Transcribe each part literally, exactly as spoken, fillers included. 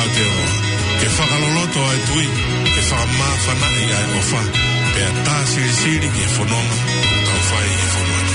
Aotearoa, ke fakaloloto ʻa e tui, ke fakamāfanaʻi ʻa e ʻofa, pea tā silisili ki he fononga ʻoku tau fai ʻi he fonua ni.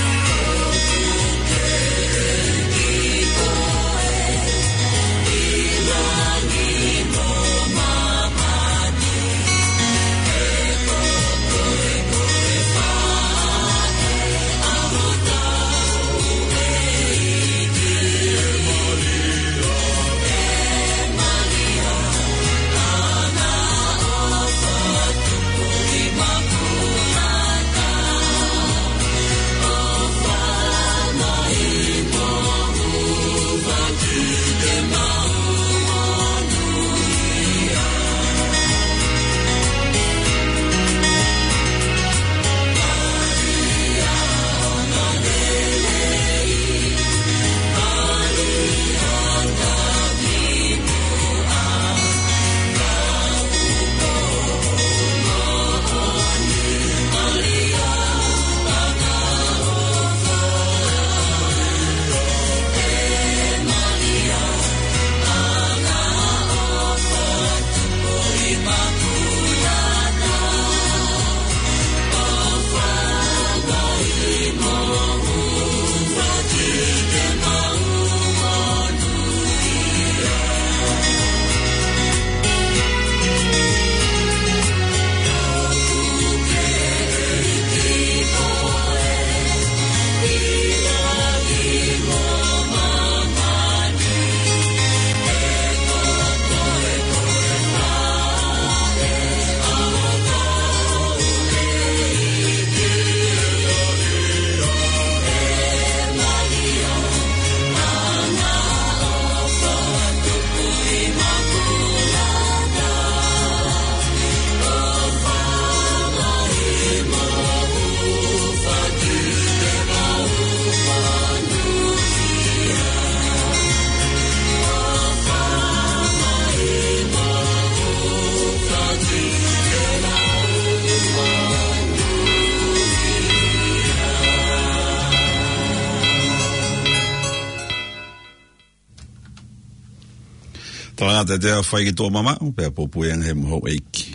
Tolanga te te fai ki tuʻa mamaʻo, pea pōpui ange he moho ʻeiki.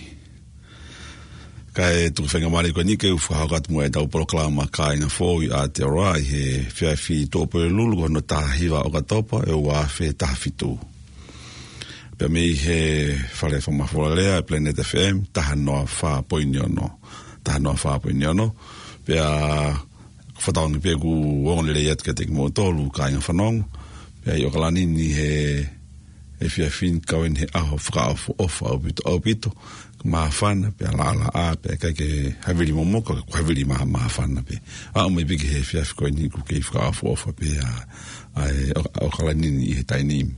Kae tuku faingamālie ko eni ke u fakahoko atu muʻa ʻetau polokalama Kāinga Foʻou ʻi Aotearoa ʻi he efiafi Tuʻapulelulu ko hono taha hiva ʻOkatopa ʻe ua afe taha fitu. Pea mei he fale fakamafola lea ʻa e Planet F M, taha noa fā poini ono. Taha noa fā poini ono. Pea fakatauange pē ʻoku ongo lelei atu kiate kimoutolu kāinga fanongo. Pea ʻi ʻOkalani ni he efiafi ni kau eni he ʻaho fakaʻofoʻofa ʻaupito, ʻaupito. Māfana, pea laʻalaʻā, pea ʻikai ke havili momoka, ka ʻoku havili mā-, māfana pē. Aʻu mai pē ki he efiafi ko eni ʻoku kei fakaʻofoʻofa pē ʻa, ʻa e ʻO-, ʻOkalani ni ʻi he taimi ni.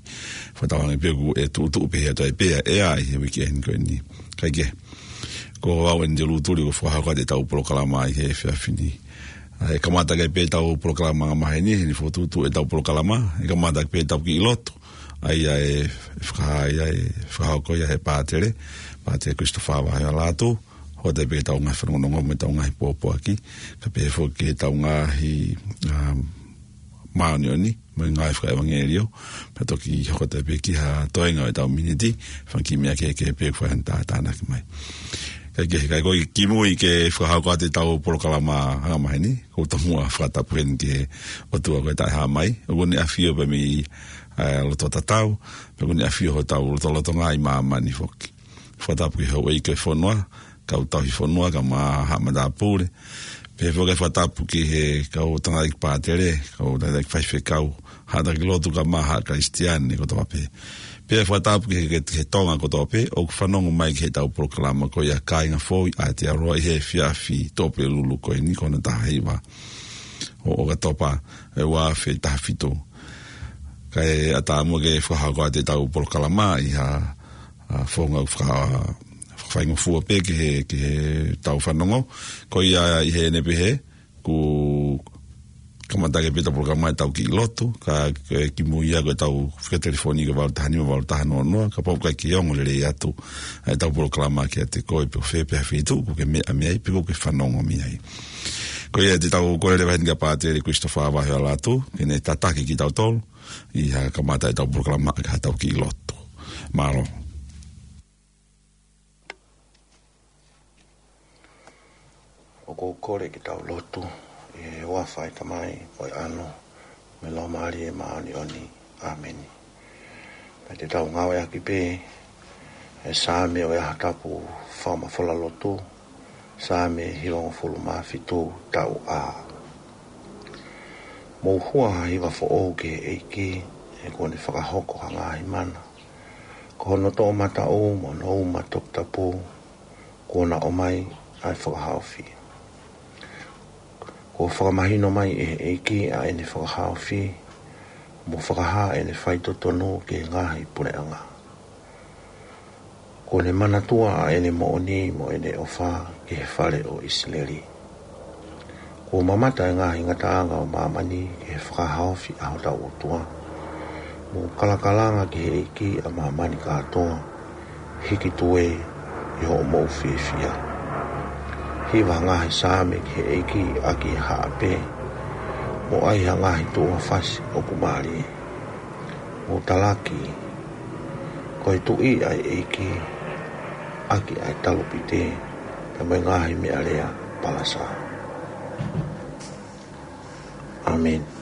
Fakatauange pē ʻoku tuʻutuʻu pē he ʻaho ʻe pea ʻe ʻi he uike eni ko eni. Kae kehe, ko au eni te lutuli ʻo fakahoko atu ʻetau polokalama ʻi he efiafi ni. ʻA e kamata ʻaki pē ʻetau polokalama angamaheni, heni fokotuʻutuʻu ʻetau polokalama, ʻe kamata ʻaki pē ʻetau kiʻi lotu. ʻA ia ʻe faka-, ʻa ia ʻe fakahoko ia ʻe he pātele, Pātele Christopher Vahealatu, hoko atu pē ki heʻetau ngaahi fanongonongo mo ʻetau ngaahi pōpoaki, kae pehē foki ki heʻetau ngaahi, um, māʻoniʻoni, mo e ngaahi fakaʻevangeliō, pea toki hoko atu pē ki ha toenga ʻo ʻetau miniti, fanga kiʻi meʻa kehekehe pē ʻoku fai hano tātānaki mai. Kae kehe, kae ko e kimui ke fakahoko atu ʻetau polokalama angamaheni, ʻoku ou tomuʻa fakatapu heni ki he ʻOtua ko e Taʻehāmai, ʻoku ne ʻafio pē mei, ʻa, loto tatau, pea ʻoku ne ʻafio hotau lotolotonga ʻi māmani foki. Fakatapu ki he houʻeiki ʻo e fonua, kau tauhi fonua, kae ʻumaʻā haʻa matāpule. Pehē foki e fakatapu ki he kau tangataʻeiki pātele, kau tangataʻeiki faifekau, haʻa taki lotu kae ʻumaʻā haʻa Kalisitiane kotoa pē. Pea fakatapu ki he, ki he Tonga kotoa pē, ʻoku fanongo mai ki heʻetau polokalama ko ia Kāinga Foʻou ʻi Aotearoa ʻi he efiafi Tuʻapulelulu ko eni ko hono taha hiva ʻo ʻOkatopa ʻe ua afe taha fitu. Kae ʻatā muʻa ke fakahoko atu ʻetau polokalama ʻi ha, ʻa, founga faka-, fakafaingofua pē ki he, ki heʻetau fanongo. Ko ia ʻi heʻene pehē, ʻoku kamata ʻaki pē ʻetau polokalama ʻetau kiʻi lotu, ka, ka kimui ia ko ʻetau fika telefoni ko e valu taha nima valu taha noa noa, kapau ʻoku ʻikai ke ongo lelei atu ʻetau polokalama kiate koe pe ko fē pē ha feituʻu ʻoku ke meʻa mei ai, pe ʻoku ke fanongo mei ai. Ko ia te tau kole leva heni kia Pātele Christopher Vahealatu, ke ne tataki kitautolu, ʻi he kamata ʻetau polokalama ʻaki haʻatau kiʻi lotu. Mālō. ʻOku ou kole ke tau lotu. ʻI he huafa ʻo e Tamai, mo e ʻAlo, mo e Laumālie Māʻoniʻoni. ʻĀmeni. Pea te tau ngāueʻaki pē ʻa e Saame ʻo e ʻaho tapu fakamafola lotu, Saame hivangofulu mā fitu, taʻu A. Mou hua ha hiva foʻou ki he ʻEiki, he kuo ne fakahoko ha ngaahi mana. Ko hono toʻomataʻu mo hono uma toputapu, kuo na ʻomai ʻa e fakahaofi. Kuo fakamahino mai ʻe he ʻEiki ʻa ʻene fakahaofi, mo fakahā ʻene faitotonu ki he ngaahi puleʻanga. Kuo ne manatua ʻa ʻene moʻoni mo ʻene ʻofa ki he fale ʻo ʻIsileli. Kuo mamata ʻa e ngaahi ngataʻanga ʻo māmani ki he fakahaofi ʻa hotau ʻOtua. Mou kalakalanga ki he ʻEiki ʻa māmani kātoa, hiki tuē ʻi hoʻomou fiefia. Hiva ha ngaahi saame ki he ʻEiki ʻaki ha haʻape, mo ʻai ha ngaahi tuʻunga fasi ʻoku mālie. Mou talaki, ko e Tuʻi ʻa e ʻEiki, ʻaki ʻa e talupite, pea mo e ngaahi meʻalea palasa. ʻĀmeni.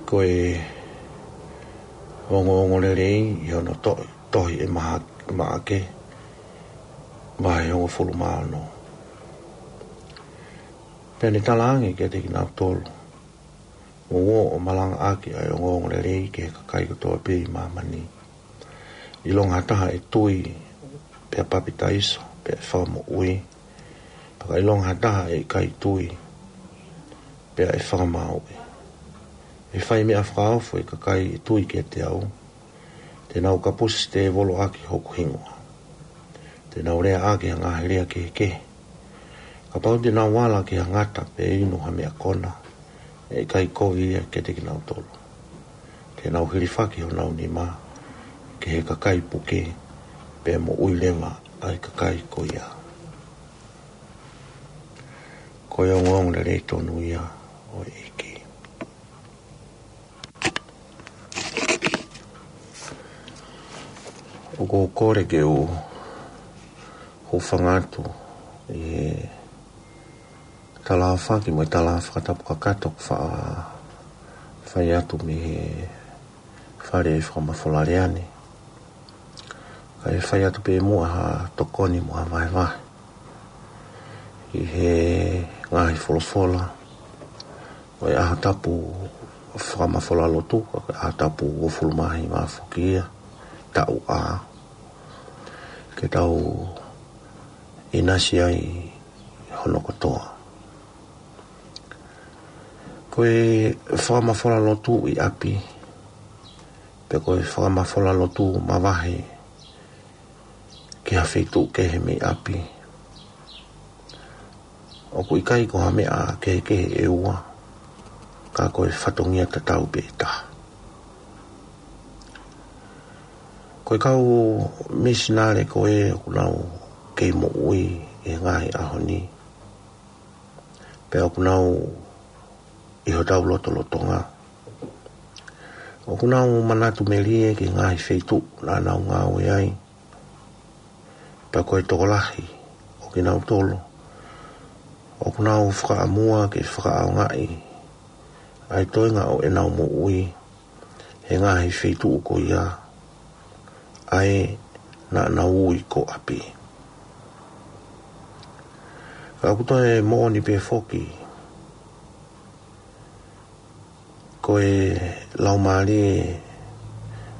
Ko e ongoongolelei ʻi hono to-, tohi ʻe Maha-, Maʻake, vahe hongofulu mā ono. Pea ne talaange kiate kinautolu, mou ō ʻo malangaʻaki ʻa e ongoongolelei ki he kakai kotoa pē ʻi māmani. ʻIlonga ha taha ʻe tui, pea papitaiso, pea ʻe fakamoʻui. Pea ka ʻilonga ha taha ʻe ʻikai tui, pea ʻe fakamāuʻi. ʻE fai meʻa fakaofo ʻa e kakai ʻe tui kiate au. Te nau kapusi tēvolo ʻaki hoku hingoa. Te nau leaʻaki ha ngaahi lea kehekehe. Kapau te nau ala ki ha ngata pe inu ha meʻa kona, ʻe ʻikai kovi ia kiate kinautolu. Te nau hilifaki honau nima ki he kakai puke, pea moʻui leva ʻa e kakai ko ia. Ko e ongoongo lelei tonu ia ʻo e ʻEiki. ʻOku ou kole ke u hūfanga atu ʻi he tala fakatapu mo e tala fakatapu kakato ʻoku faʻa fai atu mei he fale fakamafola lea ni. Kae fai atu pē muʻa ha tokoni mo ha vahevahe ʻi he ngaahi folofola ʻo e ʻaho tapu fakamafola lotu, ko e ʻaho tapu uofulu mā hiva foki ia, taʻu A, ke tau ʻinasi ai hono kotoa. Ko e fakamafola lotu ʻi ʻapi, pe ko e fakamafola lotu mavahe ki ha feituʻu kehe mei ʻapi, ʻoku ʻikai ko ha meʻa kehekehe ʻe ua, ka ko e fatongia tatau pē ʻe taha. Ko e kau misinale ko ē ʻoku nau kei moʻui ʻi he ngaahi ʻaho ni, pea ʻoku nau ʻi hotau lotolotonga, ʻoku nau manatu melie ki he ngaahi feituʻu naʻa nau ngāue ai. Pea ko e tokolahi ʻo kinautolu ʻoku nau fakaʻamua ke fakaʻaongaʻi ʻa e toenga ʻo ʻenau moʻui he ngaahi feituʻu ko ia ʻa ē naʻa nau ui ko ʻapi. Ka ʻoku toe moʻoni pē foki, ko e laumālie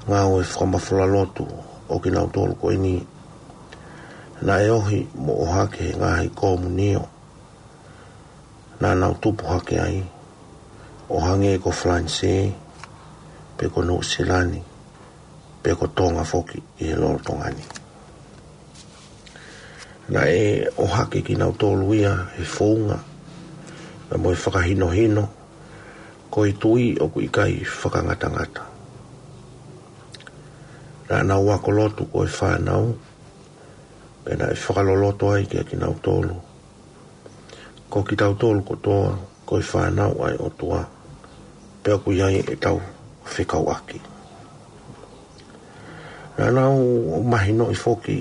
ngāue fakamafola lotu ʻo kinautolu ko eni, naʻe ohi mo ʻohake he ngaahi komunio naʻa nau tupu hake ai, ʻo hangē ko Falanisē, pe ko Nuʻusila ni, pe ko Tonga foki ʻi he lolotonga ni. Naʻe ʻohake kinautolu ia he founga, pea mo e fakahinohino, ko e tui ʻoku ʻikai fakangatangata. Naʻa nau ako lotu ko e fānau, pea naʻe fakaloloto ai kia kinautolu, ko kitautolu kotoa ko e fānau ʻa e ʻOtua, pea ʻoku ʻi ai ʻetau fekauʻaki. Naʻa nau mahinoʻi foki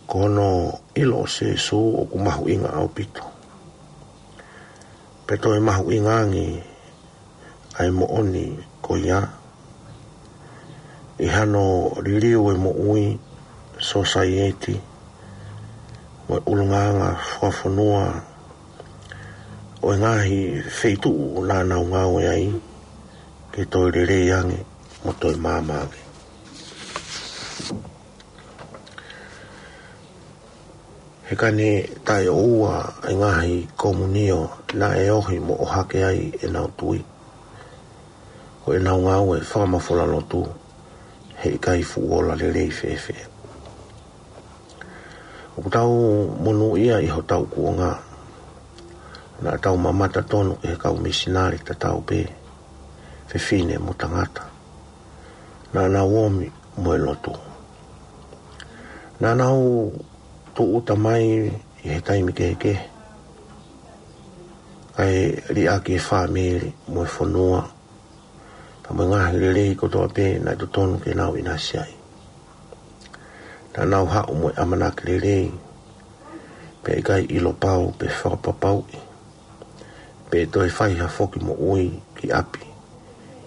ko hono ʻilo ʻo Sīsū ʻoku mahuʻinga ʻaupito, pea toe mahuʻinga ange ʻa e moʻoni ko ia ʻi hano liliu e moʻui, sōsaieti, mo e ʻulungaanga fakafonua ʻo e ngaahi feituʻu naʻa nau ngāue ai, ke toe lelei ange mo toe maama ange. He ka ne taʻeʻoua e ngaahi komunio naʻe ohi mo ʻohake ai ʻenau tui, ko ʻenau ngāue fakamafola lotu, heʻikai fuʻu ola lelei fēfē. ʻOku tau monūʻia ʻi hotau kuonga, naʻa tau mamata tonu ki he kau misinale tatau pē, fefine mo tangata, naʻa nau omi mo e lotu. Naʻa nau tūʻuta mai ʻi he taimi kehekehe, kae liʻaki e fāmili mo e fonua, pea mo e ngaahi lelei kotoa pē naʻe totonu ke nau ʻinasi ai. Naʻa nau haʻu mo e ʻamanaki lelei, pea ʻikai ʻilo pau pe fakapapauʻi pe toe fai ha foki moʻui ki ʻapi,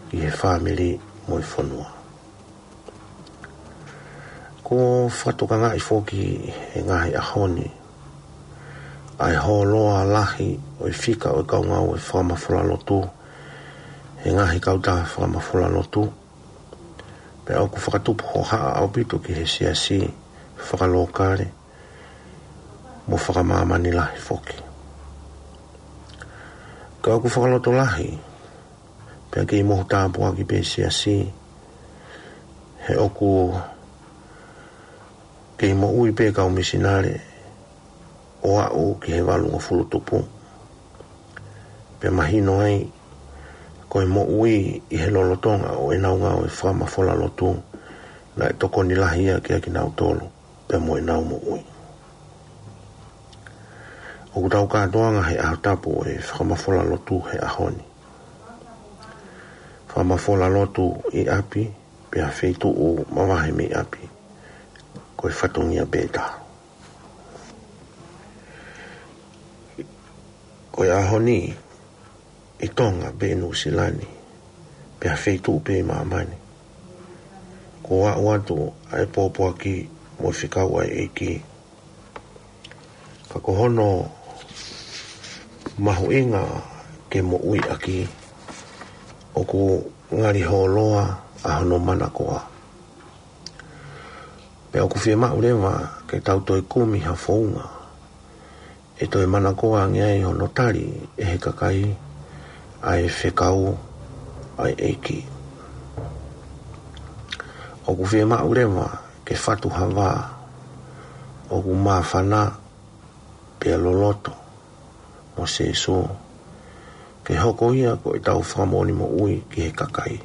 ki he fāmili mo e fonua. Kuo fakatokangaʻi foki he ngaahi ʻaho ni ʻa e hōloa lahi ʻo e fika ʻo e kau ngāue fakamafola lotu he ngaahi kautaha fakamafola lotu, pea ʻoku fakatupu hohaʻa ʻaupito ki he siasi fakalokale mo fakamāmani lahi foki. Ka ʻoku fakalotolahi, pea kei mohu tāpuaki pē siasi, he ʻoku kei moʻui pē kau misinale ʻo aʻu ki he valungofulu tupu. Pea mahino ai, ko e moʻui ʻi he lolotonga ʻo ʻenau ngāue fakamafola lotu, naʻe tokoni lahi ia kia kinautolu, pea mo ʻenau moʻui. ʻOku tau kātoanga he ʻaho tapu ʻo e fakamafola lotu he ʻaho ni. Fakamafola lotu ʻi ʻapi, pea feituʻu mavahe mei ʻapi. Ko e fatongia pē ʻe taha. Ko e ʻaho ni, ʻi Tonga pe ʻi Nuʻusila ni, pe ha feituʻu pē ʻi māmani, kuo aʻu atu ʻa e pōpoaki mo e fekau ʻa e ʻEiki. Ka ko hono mahuʻinga ke moʻui ʻaki, ʻoku ngali hōloa ʻa hono manakoa. Pea ʻoku fiemaʻu leva ke tau toe kumi ha founga ʻe toe manakoa ange ai hono tali ʻe he kakai ʻa e fekau ʻa e ʻEiki. ʻOku fiemaʻu leva ke fatu ha vā ʻoku māfana pea loloto mo Sēsū, ke hoko ia ko ʻetau fakamoʻoni moʻui ki he kakai,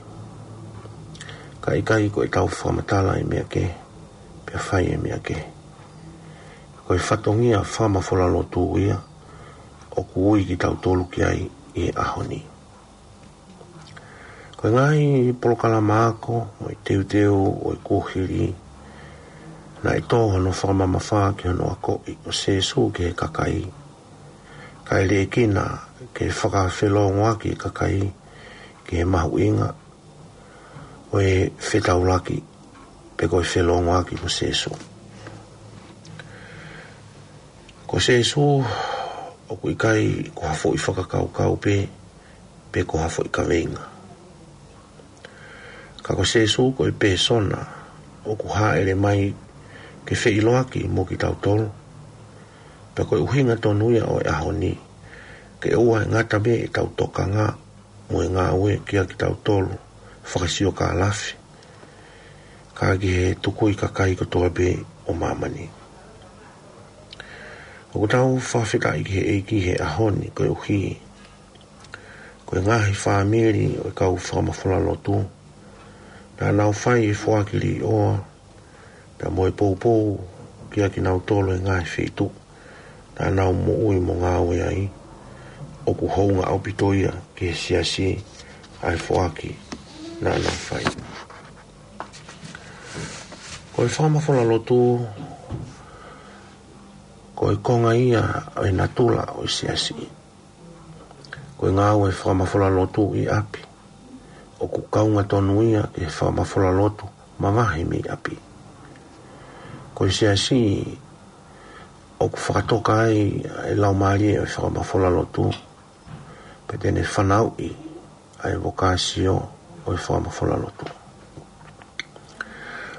kae ʻikai ko ʻetau fakamatala ʻa e meʻa kehe, pea fai ʻa e meʻa kehe. Ko e fatongia fakamafola lotu ia ʻoku ui kitautolu ki ai ʻi he ʻaho ni. Ko e ngaahi polokalama ako mo e teuteu ʻo e kuohili, naʻe tō hono fakamamafa ki hono akoʻi ʻo Sēsū ki he kakai, kae liʻekina ke fakafelongoaki e kakai ki he mahuʻinga ʻo e fetaulaki, pe ko e felongoaki mo Sēsū. Ko Sēsū ʻoku ʻikai ko ha foʻi fakakaukau pē, pe ko ha foʻi kaveinga. Ka ko Sēsū ko e pēsona ʻoku hāʻele mai ke feʻiloaki mo kitautolu. Pea ko e ʻuhinga tonu ia ʻo e ʻaho ni, ke ʻoua ʻe ngata pē ʻetau tokanga mo e ngāue kia kitautolu fakasiokālafi, ka ki he tukui kakai kotoa pē ʻo māmani. ʻOku tau fakafetaʻi ki he ʻEiki he ʻaho ni koeʻuhi ko e ngaahi fāmili ʻo e kau fakamafola lotu naʻa nau fai e foaki līʻoa pea mo e poupou kia kinautolu he ngaahi feituʻu naʻa nau moʻui mo ngāue ai. ʻOku hounga ʻaupito ia ki he siasi ʻa e foaki naʻa nau fai. Ko e fakamafola lotu, ko e konga ia ʻo e natula ʻo e siasi. Ko e ngāue fakamafola lotu ʻi ʻapi, ʻoku kaunga tonu ia ki he fakamafola lotu mavahe mei ʻapi. Ko e siasi ʻoku fakatoka ai ʻa e laumālie ʻo e fakamafola lotu, pea te ne fanauʻi ʻa e vokāsio ʻo e fakamafola lotu.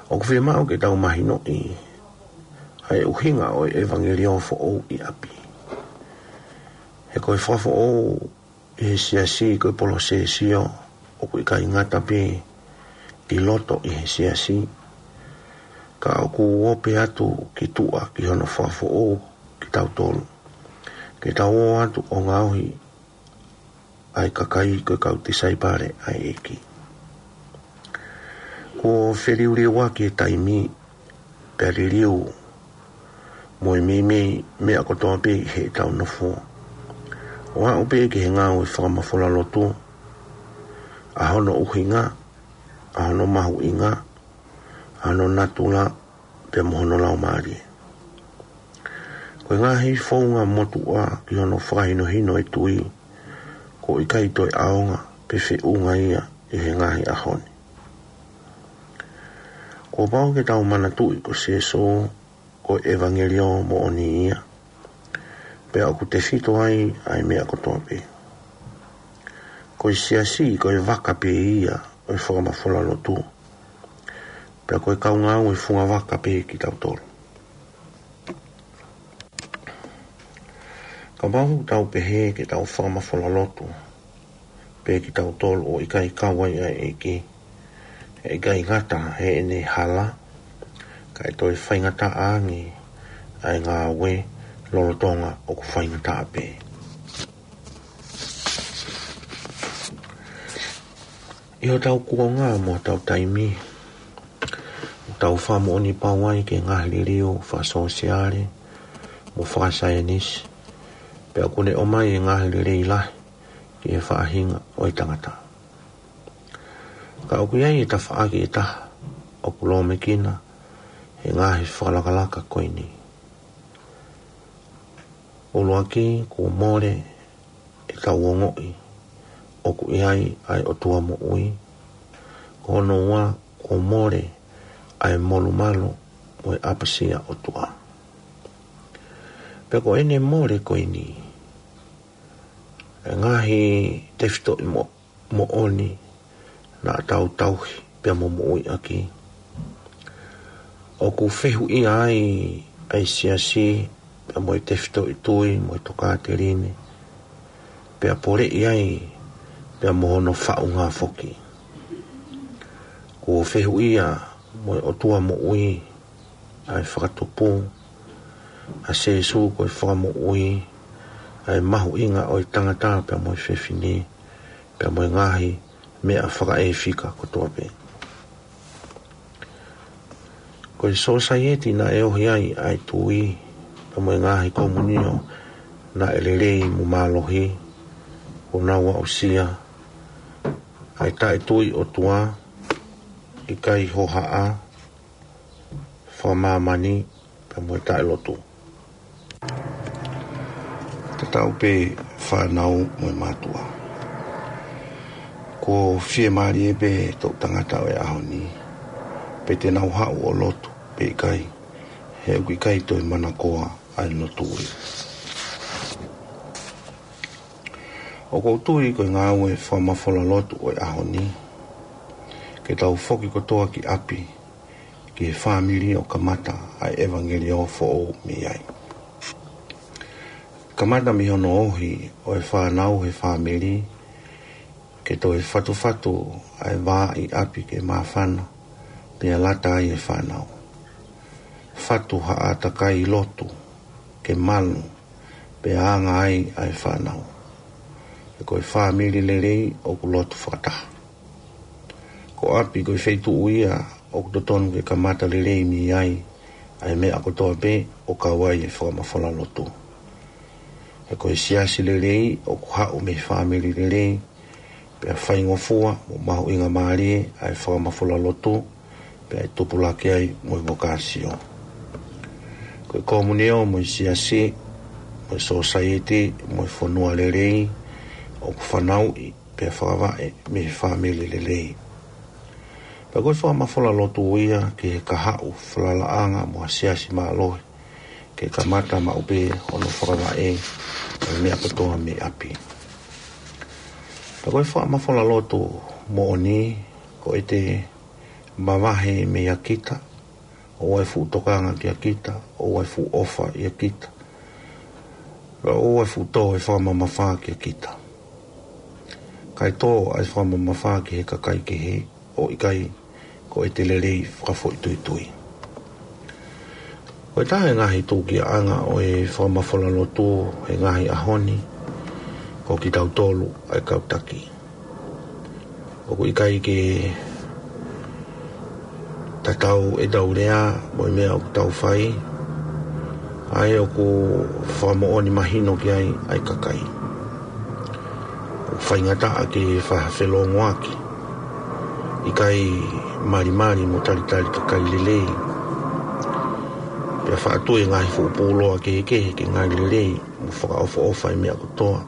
ʻOku fiemaʻu ke tau mahinoʻi ʻa e ʻuhinga ʻo e ʻevangeliō foʻou ʻi ʻapi. He ko e fakafoʻou ʻi he siasi ko e polosesio ʻoku ʻikai ngata pē ʻi loto ʻi he siasi, ka ʻoku ope atu ki tuʻa ki hono fakafoʻou kitautolu, ke tau ō atu ʻo ngaohi ʻa e kakai ko e kau tisaipale ʻa e ʻEiki. Kuo feliuliuaki e taimi, pea liliu mo e meimei meʻa kotoa pē ʻi heʻetau nofo. ʻO aʻu pē ki he ngāue fakamafola lotu, ʻa hono ʻuhinga, ʻa hono mahuʻinga, ʻa hono natula, pea mo hono laumālie. Ko e ngaahi founga motuʻa ki hono fakahinohino e tui, ʻoku ʻikai toe ʻaonga pe feʻunga ia ʻi he ngaahi ʻaho ni. Kuo pau ke tau manatuʻi ko Sēsū ko e ʻevangeliō moʻoni ia, pea ʻoku tefito ai ʻa e meʻa kotoa pē. Ko e siasi ko e vaka pē ia ʻo e fakamafola lotu, pea ko e kau ngāue fungavaka pē kitautolu. Kapau ʻoku tau pehē ke tau fakamafola lotu pē kitautolu ʻo ʻikai kau ai ʻa e ʻEiki, ʻe ʻikai ngata heʻene hala, kae toe faingataʻa ange ʻa e ngāue lolotonga ʻoku faingataʻa pē. ʻI hotau kuonga mo hotau taimi, ʻoku tau fakamoʻoni pau ai ki he ngaahi liliu fakasōsiale mo fakasaienisi, Pea ʻoku ne ʻomai e ngaahi lelei lahi ki he faʻahinga ʻo e tangata. Ka ʻoku ʻi ai e tafaʻaki ʻe taha ʻoku lōmekina he ngaahi fakalakalaka ko eni. ʻUluaki, kuo mole ʻetau ongoʻi ʻoku ʻi ai ʻa e ʻOtua moʻui. Ko hono ua, kuo mole ʻa e molumalu mo e ʻapasia ʻOtua. Pea ko ʻene mole ko eni, e ngaahi tefitoʻi mo-, moʻoni naʻa tau tauhi pea mo moʻuiʻaki, ʻoku fehuʻia ai ʻa e siasi pea mo e tefitoʻi tui mo e tokāteline, pea poleʻi ai pea mo hono faʻunga foki. Kuo fehuʻia mo e ʻOtua moʻui ʻa e fakatupu, ʻa Sīsū ko e Fakamoʻui, ʻa e mahuʻinga ʻo e tangata pea mo e fefine, pea mo e ngaahi meʻa fakaʻefika kotoa pē. Ko e sōsaieti naʻe ohi ai ʻa e tui, pea mo e ngaahi komunio naʻe lelei mo mālohi, ʻoku nau aʻusia ʻa e taʻetui ʻOtua, ʻikai hohaʻa, fakamāmani, pea mo e taʻelotu. Tatau pē fānau mo e mātuʻa. Kuo fiemālie pē toʻu tangata ʻo e ʻaho ni, pe te nau haʻu ʻo lotu pe ʻikai, he ʻoku ʻikai toe manakoa ʻa e lotu ia. ʻOku ou tui ko e ngāue fakamafola lotu ʻo e ʻaho ni, ke tau foki kotoa ki ʻapi, ki he fāmili ʻo kamata ʻa e ʻevangeliō foʻou mei ai. Kamata mei hono ohi ʻo e fānau he fāmili, ke toe fatufatu ʻa e vā ʻi ʻapi ke māfana, pea lata ai e fānau. Fatu ha ʻātakai lotu, ke malu, pea anga ai ʻa e fānau. He ko e fāmili lelei ʻoku lotu fakataha. Ko ʻapi ko e feituʻu ia ʻoku totonu ke kamata lelei mei ai ʻa e meʻa kotoa pē ʻo kau ai e fakamafola lotu. He ko e siasi lelei ʻoku haʻu mei he fāmili lelei, pea faingofua mo mahuʻingamālie ʻa e fakamafola lotu, pea ʻe tupulaki ai mo e vokāsio. Ko e komunio mo e siasi, mo e sōsaieti, mo e fonua lelei, ʻoku fanauʻi pea fakavaʻe mei he fāmili lelei. Pea ko e fakamafola lotu ia ki he kahaʻu falalaʻanga mo ha siasi mālohi, ke kamata maʻu pē hono fakavaʻe ʻo e meʻa kotoa mei ʻapi. Pea ko e fakamafola lotu moʻoni, ko ʻete mavahe mei a kita, ʻoua ʻe fuʻu tokanga kia kita, ʻoua ʻe fuʻu ʻofa ia kita, pea ʻoua ʻe fuʻu tō e fakamamafa kia kita. Kae tō ʻa e fakamamafa ki he kakai kehe, ʻo ʻikai ko ʻete lelei fakafoʻituitui. Ko e taha e ngaahi tūkiaʻanga ʻo e fakamafola lotu he ngaahi ʻaho ni, ko kitautolu ʻa e kau taki. ʻOku ʻikai ke tatau ʻetau lea mo e meʻa ʻoku tau fai, ʻa ē ʻoku fakamoʻoni mahino ki ai ʻa e kakai. ʻOku faingataʻa ke fakafelongoaki, ʻikai malimali mo talitali kakai lelei. Pea faʻa tui e ngaahi fuʻu pūloa kehekehe ke ngali lelei mo fakaʻofoʻofa e meʻa kotoa,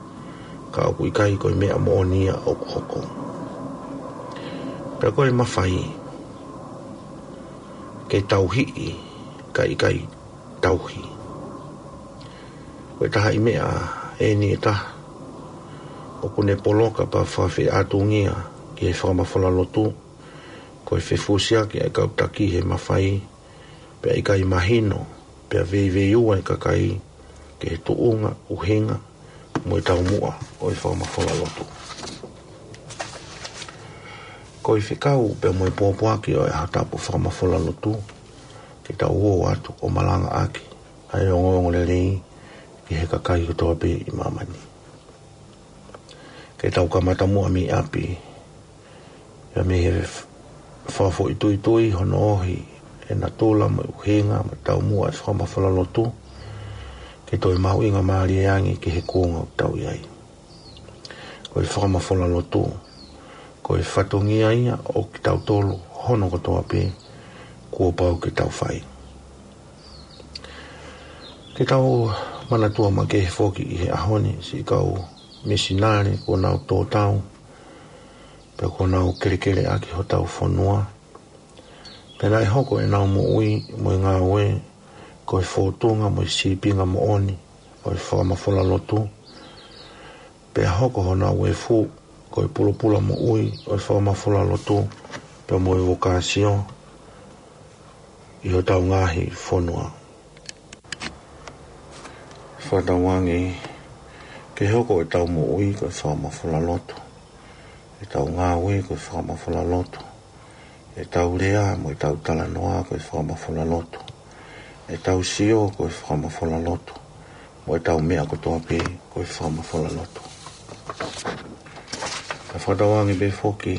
ka ʻoku ʻikai ko e meʻa moʻoni ia ʻoku hoko. Pea ko e mafai ke tauhiʻi, ka ʻikai tauhi. Ko e taha e meʻa ʻeni ʻe taha ʻoku ne poloka pea fakafeʻātungia ki he fakamafola lotu, ko e fefusiaki ʻa e kau taki he mafai, pea ʻikai mahino, pea veiveiua e kakai ki he tuʻunga, ʻuhinga, mo e taumuʻa ʻo e fakamafola lotu. Ko e fekau pea mo e pōpoaki ʻo e ʻaho tapu fakamafola lotu, ke tau ō atu ʻo malangaʻaki ʻa e ongoongolelei ki he kakai kotoa pē ʻi māmani. Ke tau kamata muʻa mei ʻapi, pea mei he f-, fakafoʻituitui hono ohi e natula mo e ʻuhinga mo e taumuʻa e fakamafola lotu, ʻe toe mahuʻinga mālie ange ki he kuonga ʻoku tau ʻi ai. Ko e fakamafola lotu, ko e fatongia ia ʻo kitautolu hono kotoa pē kuo pau ke tau fai. Ke tau manatua makehe foki ʻi he ʻaho ni siʻi kau misinale kuo nau tō tau, pea kuo nau kelekele ʻaki hotau fonua. Pea naʻe hoko ʻenau moʻui mo e ngāue ko e fōtunga mo e sīpinga moʻoni ʻo e fakamafola lotu. Pea hoko honau efu ko e pulopula moʻui ʻo e fakamafola lotu, pea mo e vokāsio ʻi hotau ngaahi fonua. Fakatauange ke hoko ʻetau moʻui ko e fakamafola lotu, ʻetau ngāue ko e fakamafola lotu, ʻetau lea mo ʻetau talanoa ko e fakamafola lotu, ʻetau sio ko e fakamafola lotu, mo ʻetau meʻa kotoa pē ko e fakamafola lotu. Ka fakatauange pē foki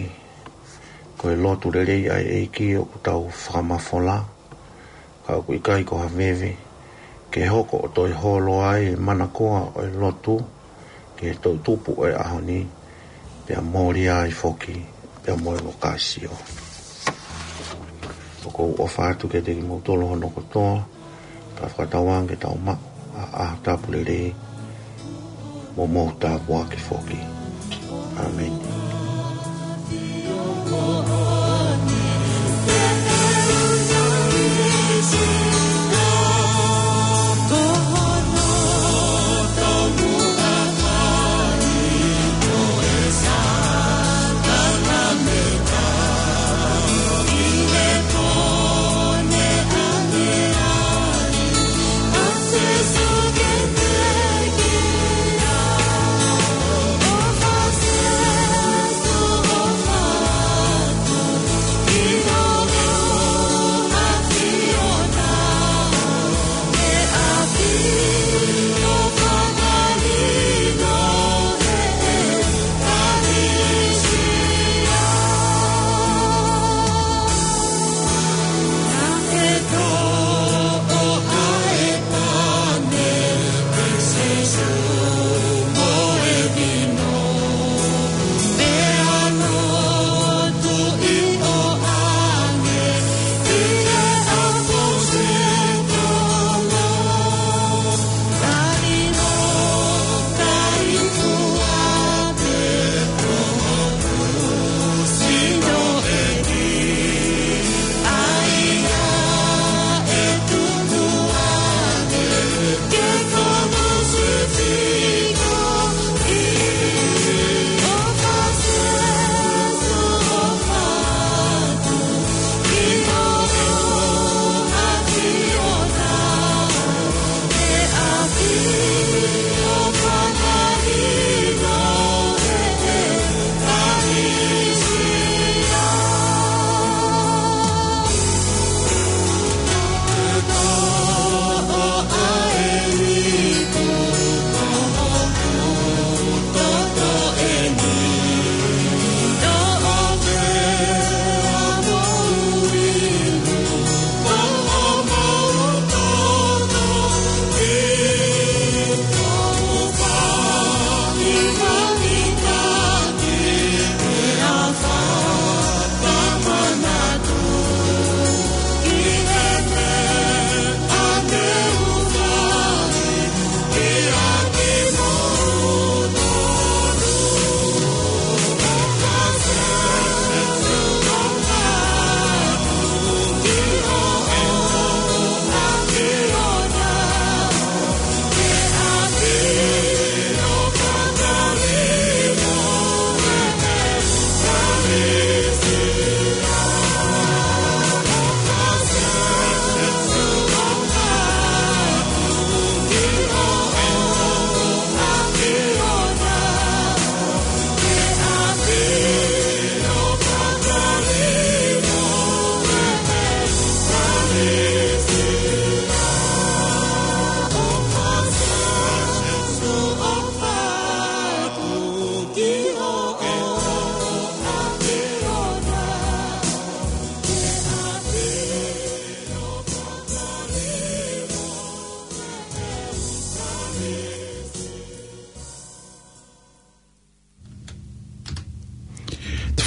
ko e lotu lelei ʻa e ʻEiki ʻoku tau fakamafola, ka ʻoku ʻikai ko ha veve, ke hoko ʻo toe holo ai e manakoa ʻo e lotu ki he toʻutupu ʻo e ʻaho ni, pea mōlia ai foki pea mo e vokāsio. ʻOku ou ʻofa atu kiate kimoutolu hono kotoa, ka fakatauange ke tau maʻu ʻa e ʻaho tapu lelei mo mou tāpuaki foki. ʻĀmeni.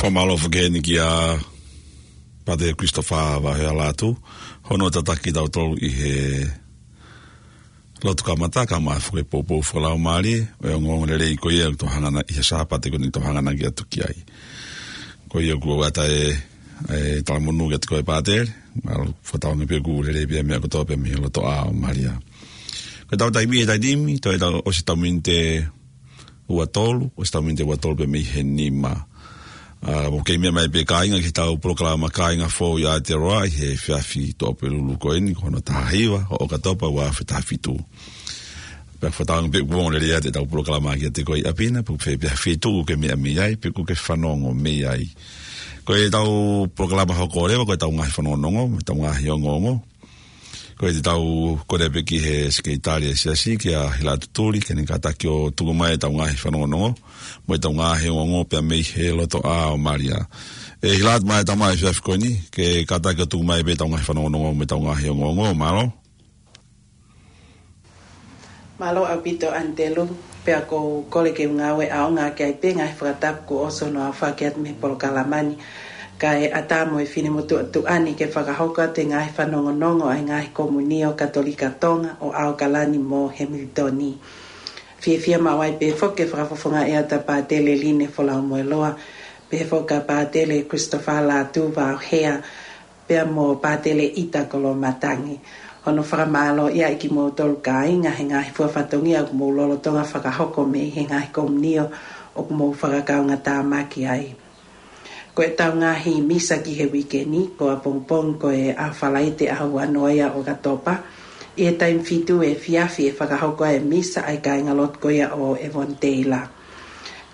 ʻOku mālō foki heni kia Pātele Christopher Vaohea Lātū, hono tataki tautolu ʻi he lotu kamata, kae ʻumaʻā foki e poupou fakalaumālie ʻo e ongoongo lelei ko ia ʻoku tau hanga ʻi he Sāpate ko eni ʻoku tau hanga ʻaki atu ki ai. Ko ia ʻoku ou ʻatā e, e talamonū kiate koe Pātele, mālō fakatauange pē ʻoku lelei pē meʻa kotoa pē mei he loto ʻā ʻo Malia. Ko ʻetau taimi he taimi ni, toe tau ʻosi ʻetau miniti ua tolu, ʻosi ʻetau miniti ua tolu pē mei he nima. ʻA, mou kei meʻa mai pē kāinga ki heʻetau polokalama Kāinga Foʻou ʻi Aotearoa ʻi he efiafi Tuʻapulelulu ko eni, ko hono taha hiva ʻo ʻOkatopa ua afe taha fitu. Pea fakatauange pē ʻoku ongo lelei atu ʻetau polokalama kiate koe ʻi ʻapi na, pe ko fē pē ha feituʻu ʻoku ke meʻa mei ai, pe ʻoku ke fanongo mei ai. Ko ʻetau polokalama hoko leva, ko ʻetau ngaahi fanongonongo, mo ʻetau ngaahi ongoongo. Ko ia te tau kole pē ki he Sekelitali ʻo e Siasi, kia Hilatu Tuli, ke ne kātaki ʻo tuku mai ʻetau ngaahi fanongonongo, mo ʻetau ngaahi ongoongo pea mei he loto ʻā ʻo Malia. ʻE Hilatu, mālō e tama he efiafi ko eni, ke kātaki ʻo tuku mai pē ʻetau ngaahi fanongonongo mo ʻetau ngaahi ongoongo, mālō. Mālō ʻaupito ʻAnitelu, pea ʻoku ou kole ke u ngāue ʻaonga ki ai pē ngaahi fakatapu kuo ʻosi hono aofaki atu mei he polokalama ni, kae ʻatā mo e finemotuʻa tuʻa ni ke fakahoko atu e ngaahi fanongonongo ʻa e ngaahi komiunio Katolika Tonga ʻo ʻAokalani mo Hemilitoni. Fiefia maʻu ai pē foki ke fakafofongaʻi atu ʻa Pātele Line Folamoeloa, pehē foki kia Pātele Christopher Lātū Vaohea, pea mo Pātele ʻIta Koloamatangi. Hono fakamālō ia ʻi kimoutolu kāinga he ngaahi fua fatongia ʻoku mou lolotonga fakahoko mei he ngaahi komiunio ʻoku mou fakakaungātāmaki ai. Ko ʻetau ngaahi misa ki he uike ni, ko ʻapongipongi ko e ʻaho Falaite ʻaho ua noa ia ʻo ʻOkatopa, ʻi he taimi fitu efiafi ʻe fakahoko ai e misa ʻa e kāingalotu ko ia ʻo ʻEvoniteila.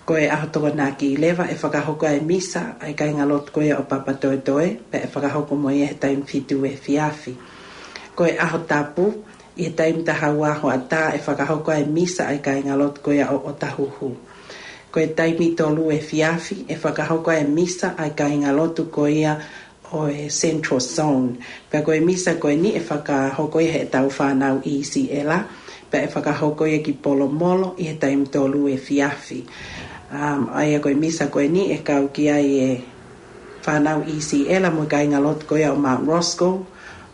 Ko e ʻaho Tokonaki leva ʻe fakahoko ai e misa ʻa e kāingalotu ko ia ʻo Papatoetoe, pea ʻe fakahoko mo ia he taimi fitu efiafi. Ko e ʻaho Tapu, ʻi he taimi taha ua hoʻatā ʻe fakahoko ai e misa ʻa e kāingalotu ko ia ʻo ʻOtahuhu. Ko e taimi tolu efiafi ʻe fakahoko ai e misa ʻa e kāingalotu ko ia ʻo e Central Zone. Pea ko e misa ko eni ʻe fakahoko ia heʻetau fānau ʻIsiʻela, pea ʻe fakahoko ia ki Polomolo ʻi he taimi tolu efiafi. Um, ʻa ia ko e misa ko eni ʻe kau ki ai e fānau ʻIsiʻela mo e kāingalotu ko ia ʻo Mount Roskill,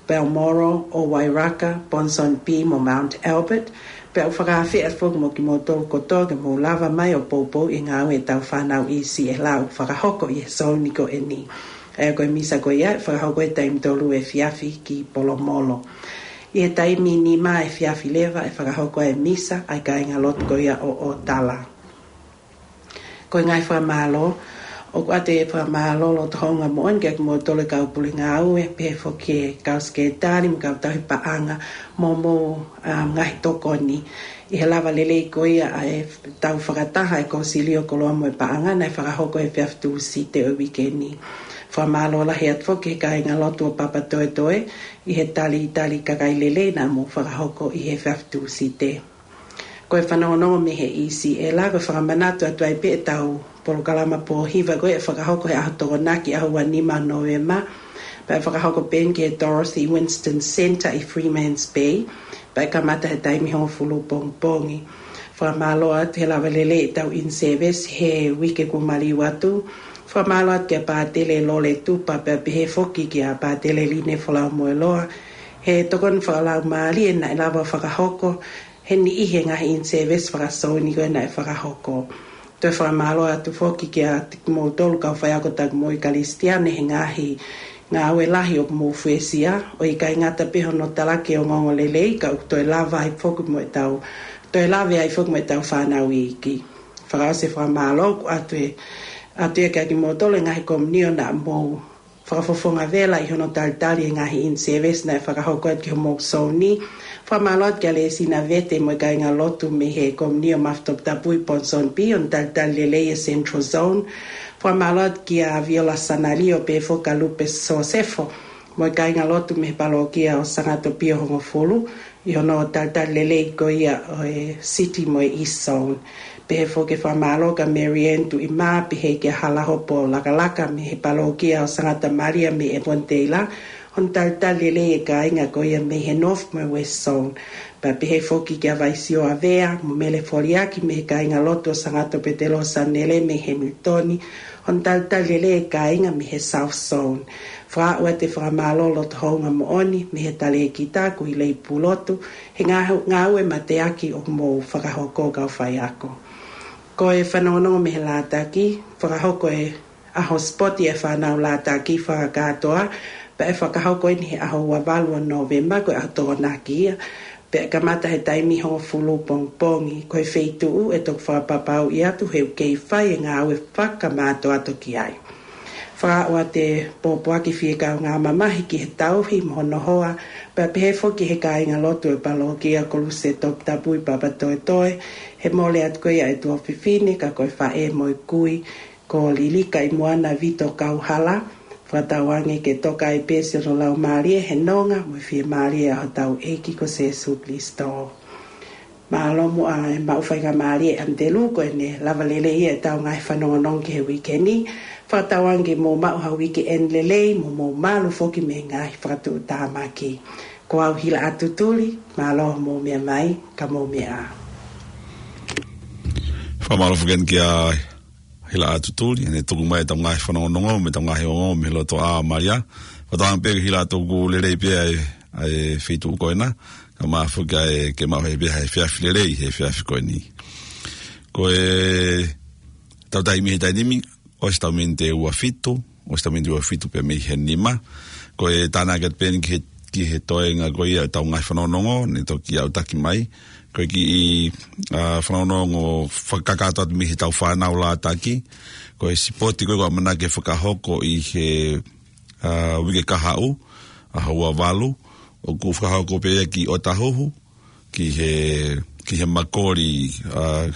Balmoral, ʻo Wairaka, Ponsonby mo Mount Albert, pea ʻoku fakaafeʻi atu foki mo kimoutolu kotoa ke mou lava mai ʻo poupou ʻi he ngāue ʻetau fānau ʻIsiʻela ʻoku fakahoko ʻi he zone ko eni. ʻA ia ko e misa ko ia ʻe fakahoko he taimi tolu efiafi ki Polomolo. ʻI he taimi nima efiafi leva ʻe fakahoko ai e misa ʻa e kāingalotu ko ia ʻo ʻOtala. Ko e ngaahi fakamālō, ʻoku ʻoatu e fakamālō loto houngaʻia moʻoni kia kimoutolu e kau pule ngāue, pehē foki ki he kau sekelitali mo e kau tauhi paʻanga mo hoʻomou, um, ngaahi tokoni ʻi he lava lelei ko ia ʻa ʻetau fakataha ʻa e Kōsilio Koloa mo e Paʻanga naʻe fakahoko he efiafi Tūsite ʻo e uike ni. Fakamālō lahi atu foki ki he kāingalotu ʻo Papatoetoe ʻi he talitali kakai lelei naʻa mou fakahoko ʻi he efiafi Tūsite. Ko e fanongonongo mei he ʻIsiʻela, ko e fakamanatu atu ai pē ʻetau polokalama pōhiva ko ia ʻe fakahoko he ʻaho Tokonaki ʻaho ua nima Nōvema, pea ʻe fakahoko pē eni ki he Dorothy Winston Centre ʻi Freeman's Bay, pea ʻe kamata he taimi hongofulu pongipongi. Fakamālō atu he lava lelei ʻetau in-service he uike kuo maliu atu. Fakamālō atu kia Pātele Lole Tupa pea pehē foki kia Pātele Line Folamoeloa he tokoni fakalaumālie naʻe lava fakahoko he niʻihi e ngaahi in-service fakasōni ko ē naʻe fakahoko. Toe fakamālō atu foki kia kimoutolu kau faiako taku moʻui Kalisitiane he ngaahi ngāue lahi ʻoku mou fuesia, ʻo ʻikai ngata pē hono talaki e ongoongo lelei, ka ʻoku toe lava ai foki mo ʻetau, toe lave ai foki mo ʻetau fānau iiki. Fakaʻosi e fakamālō, ʻoku ʻoatu e, ʻoatu ia kia kimoutolu e ngaahi komiunio naʻa mou fakafofonga vela ʻi hono talitali e ngaahi in-service naʻe fakahoko atu ki homou zone. Fakamālō atu kia Lēsina Vete mo e kāingalotu mei he komiunio Mafi Toputapu ʻi Ponsonby, hono talitali lelei e Central Zone. Fakamālō atu kia Viola Sanalio pea foki kia Lupe Sosefo mo e kāingalotu mei he palōkia ʻo Sangatopio Hongofulu, ʻi hono talitali lelei ko ia ʻo e City mo e East Zone. Pehē foki e fakamālō kia Mary Ann Tuʻimā, pehē kia Halahopo Lakalaka mei he palōkia ʻo Sangata Malia mei ʻEvoniteila, Hono talitali lelei e kāinga ko ia mei he North mo e West Zone. Pea pehē foki kia Vaisio ʻAvea, mo Mele Foliaki mei he kāingalotu ʻo Sangato Petelo Sanele mei Hamilton. Hono talitali lelei e kāinga mei he South Zone. Fakaaʻu atu e fakamālō loto houngaʻia moʻoni mei he talēkita Kuileipulotu, he ngāu-, ngāue mateaki ʻoku mou fakahoko kau faiako. Ko e fanongonongo mei he Lātaki, fakahoko e ʻaho sipoti e fānau Lātaki fakakātoa, pea ʻe fakahoko eni he ʻaho ua valu ʻo Nōvema, ko e ʻaho Tokonaki ia, pea kamata he taimi hongofulu pongipongi. Ko e feituʻu ʻe toki fakapapauʻi atu he ʻoku kei fai e ngāue fakamātoato ki ai. Fakaaʻu atu e pōpoaki fie kaungā mamahi ki he tauhi mo hono hoa, pea pehē foki he kāingalotu e palokia Koluse Toputapu ʻi Papatoetoe, he mole atu ko ia e tuofefine, ka ko e faʻē mo e kui, ko Lilika ʻi Moana Vito Kauhala, fakatauange ke toka ai pē siʻono laumālie he nonga mo e fiemālie ʻa hotau ʻEiki ko Sēsū Kilisitō. Mālō muʻa e maʻu faingamālie ʻAnitelū, ko ʻene lava lelei ia ʻetau ngaahi fanongonongo ki he uike ni, fakatauange ke mou maʻu ha uike ʻeni lelei, mo mou malu foki mei he ngaahi fakatuʻutāmaki. Ko au Hila ʻAtutuli, mālō hoʻomou meʻa mai, ka mou meʻa ā. Fakamālō foki eni kia Hila ʻAtutuli, ʻene tuku mai ʻetau ngaahi fanongonongo, mo ʻetau ngaahi ongo, mei loto ʻa Malia. Fakatauange pē Hila ʻoku lelei pē ʻa e, ʻa e feituʻu ko ena, kae ʻumaʻā foki ʻa e ke maʻu he pē ha efiafi lelei, he efiafi ko eni. Ko ʻetau taimi he taimi ni, ʻosi ʻetau miniti ʻe ua fitu, ʻosi ʻetau miniti ʻe ua fitu pē mei he nima. Ko e tānaki atu pē eni ki he, ki he toenga ko ia ʻetau ngaahi fanongonongo, ne toki aʻutaki mai. Ko e kiʻi, ā, fanongonongo fakakakato atu mei heʻetau fānau Lātaki. Ko e sipoti ko ē ʻoku ʻamanaki ke fakahoko ʻi he, ā, uike kahaʻu, ʻaho ua valu, ʻoku fakahoko pē ia ki ʻOtahuhu, ki he, ki he Makoli, ā,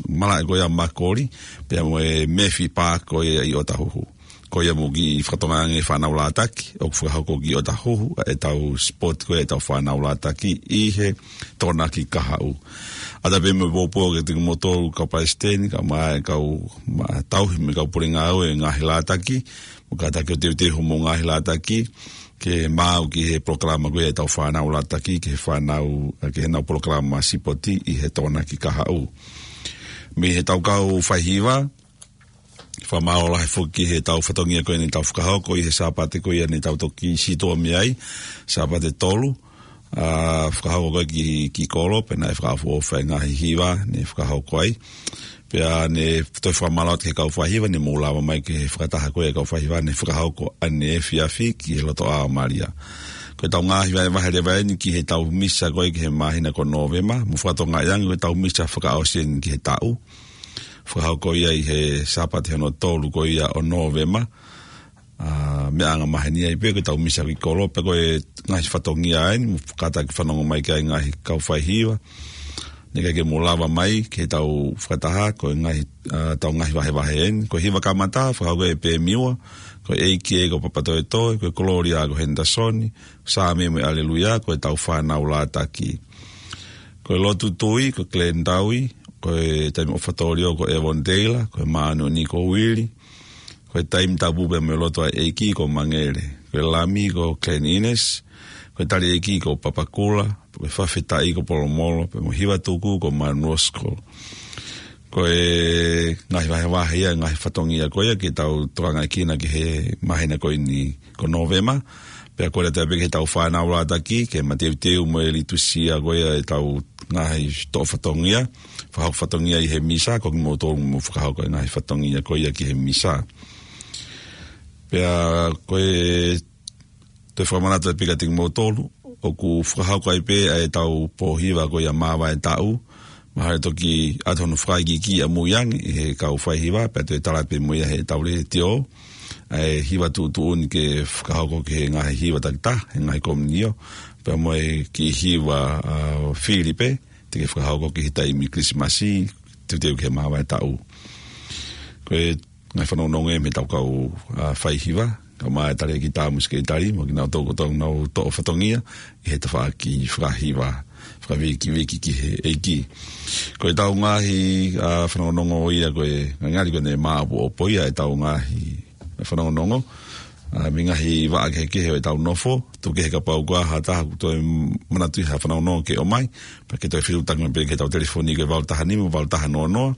malaʻe ko ia Makoli, pea mo e Murphy Park ko ia ʻi ʻOtahuhu. Ko ia mo e kiʻi fakatokanga ange fānau Lātaki, ʻoku fakahoko ki ʻOtahuhu, ʻetau sipoti ko ia ʻetau fānau Lātaki ʻi he Tokonaki kahaʻu. ʻAtā pē mo e pōpoaki kiate kimoutolu kau palesiteni, kae ʻumaʻā e kau, ma, tauhi mo e kau pule ngāue ngaahi Lātaki, mo kātaki ʻo teuteu hoʻomou ngaahi Lātaki, ke maʻu ki he polokalama ko ia ʻetau fānau Lātaki, ki he fānau, ki heʻenau polokalama sipoti ʻi he Tokonaki kahaʻu. Mei heʻetau kau faihiva, fakamālō lahi foki ki heʻetau fatongia ko eni ʻoku tau fakahoko ʻi he Sāpate ko ia ne tau toki sītuʻa mei ai, Sāpate tolu, ā, fakahoko ko ē ki, ki Kolo, pea naʻe fakaʻofoʻofa e ngaahi hiva ne fakahoko ai. Pea ne toe fakamālō atu ki he kau faihiva, ne mou lava mai ki he fakataha ko ē kau faihiva, ne fakahoko ʻaneefiafi ki he loto ʻa Malia. Ko ʻetau ngaahi vahevahe leva eni ki heʻetau misa ko ē ki he māhina ko Nōvema, mo fakatokangaʻi ange ko ʻetau misa fakaʻosi eni ki he taʻu. Fakahoko ia ʻi he Sāpate hono tolu ko ia ʻo Nōvema. Ā, meʻa angamaheni ai pē ko ʻetau misa ki Kolo, pea ko e ngaahi fatongia eni, mo kātaki fanongo mai ki ai ngaahi kau faihiva. Ne ʻikai ke mou lava mai ki heʻetau fakataha, ko e ngaahi, ā, ʻetau ngaahi vahevahe eni. Ko e hiva kamata, fakahoko ʻe Pemiua, ko e ʻEiki ko Papatoetoe, ko e Kololia ko Henderson, Sāme mo e ʻAleluia, ko ʻetau fānau Lātaki. Ko e lotu tui, ko Glenn Taui, ko e taimi ʻofa tōlio ko Evon Taylor, ko e māʻoniʻoni ko Willie, ko e taimi tapu pea mo e lotu ʻa e ʻEiki ko Mangele, ko e lami ko Glenn Innes, ko e tali ʻeiki ko Papakula, ko e fakafetaʻi ko Polomolo, pea mo e hiva tuku ko Manuosko. Ko e ngaahi vahevahe ia, ngaahi fatongia ko ia ke tau tokangaʻi kinaua ki he māhina ko eni ko Nōvema, pea ko e lata pē ki heʻetau fānau Lātaki, ke mateuteu mo e litusia ko ia ʻetau ngaahi toʻo fatongia, fakahoko fatongia ʻi he misa, ko kimoutolu mou fakahoko e ngaahi fatongia ko ia ki he misa. Pea ko e toe fakamanatu pē kiate kimoutolu, ʻoku fakahoko ai pē ʻa ʻetau pōhiva ko ia māvae taʻu, mahalo toki ʻoatu hono fakaikiiki ʻamui ange ʻe he kau faihiva, pea toe tala pē mo ia heʻetau letiō, ʻa e hiva tuʻutuʻuni ke fakahoko ki he ngaahi hiva takitaha, he ngaahi komiunio, pea mo e kiʻi hiva, ā, fili pē, te ke fakahoko ki he taimi Kilisimasi, teuteu ki he māvae taʻu. Ko e ngaahi fanongonongo ia mei heʻetau kau, ā, faihiva, kae ʻumaʻā e talēkita mo e sekelitali, mo kinautolu kotoa ʻoku nau toʻo fatongia ʻi he tafaʻaki fakahiva, fakavīkiviki ki he ʻEiki. Ko ʻetau ngaahi, ā, fanongonongo ia ko e ngali ko ʻene māʻopoʻopo ia ʻetau ngaahi fanongonongo. ʻA, mei he ngaahi vaʻa kehekehe ʻo ʻetau nofo, tuku kehe kapau ko ha taha ʻoku toe manatuʻi ha fanongonongo ke ʻomai, pea ke toe fetuʻutaki mai pē ki heʻetau telefoni ko e valu taha nima, valu taha noa noa,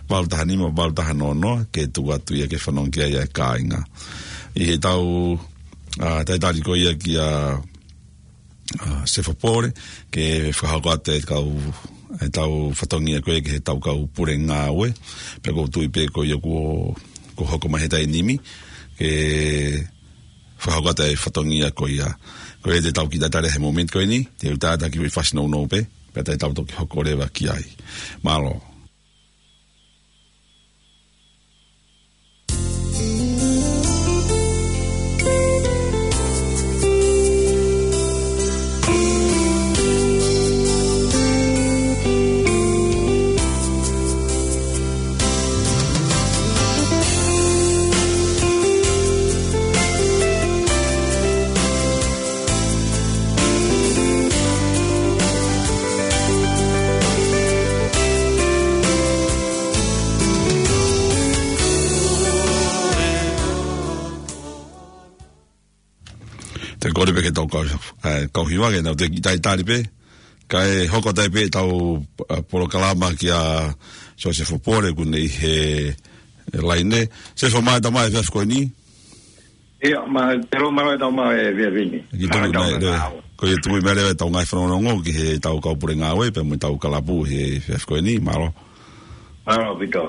valu taha nima, valu taha noa noa, ke tuku atu ia ke fanongo ki ai ʻa e kāinga. ʻI heʻetau, ʻa, talitali ko ia kia ʻa, Sefo Pole, ke fakahoko atu e kau, ʻetau fatongia ko ē ki heʻetau kau pule ngāue, pea ʻoku ou tui pē ko ia kuo, kuo hoko mai he taimi ni, ke fakahoko atu e fatongia ko ia. Ko ia te tau kiʻi talitali he momeniti ko eni, te u talitali ki he foʻi fasi nounou pē, pea te tau toki hoko leva ki ai. Mālō. Te u kole pē ke tau kau, ē, kau hiva ke nau toe kiʻi talitali pē. Kae hoko atu ai pē ʻetau, ʻa, polokalama kia Sefo Pole ʻoku ne ʻi he, ē, laine. Sefo, mālō e tau mai he efiafi ko eni. ʻIo, ma, te lo mālō e tau mai he efiafi ni. Ki tuku mai leva. Ko ia tuku mai leva ʻetau ngaahi fanongonongo ki heʻetau kau pule ngāue, pea mo ʻetau kalapu he efiafi ko eni, mālō. Mālō ʻaupito.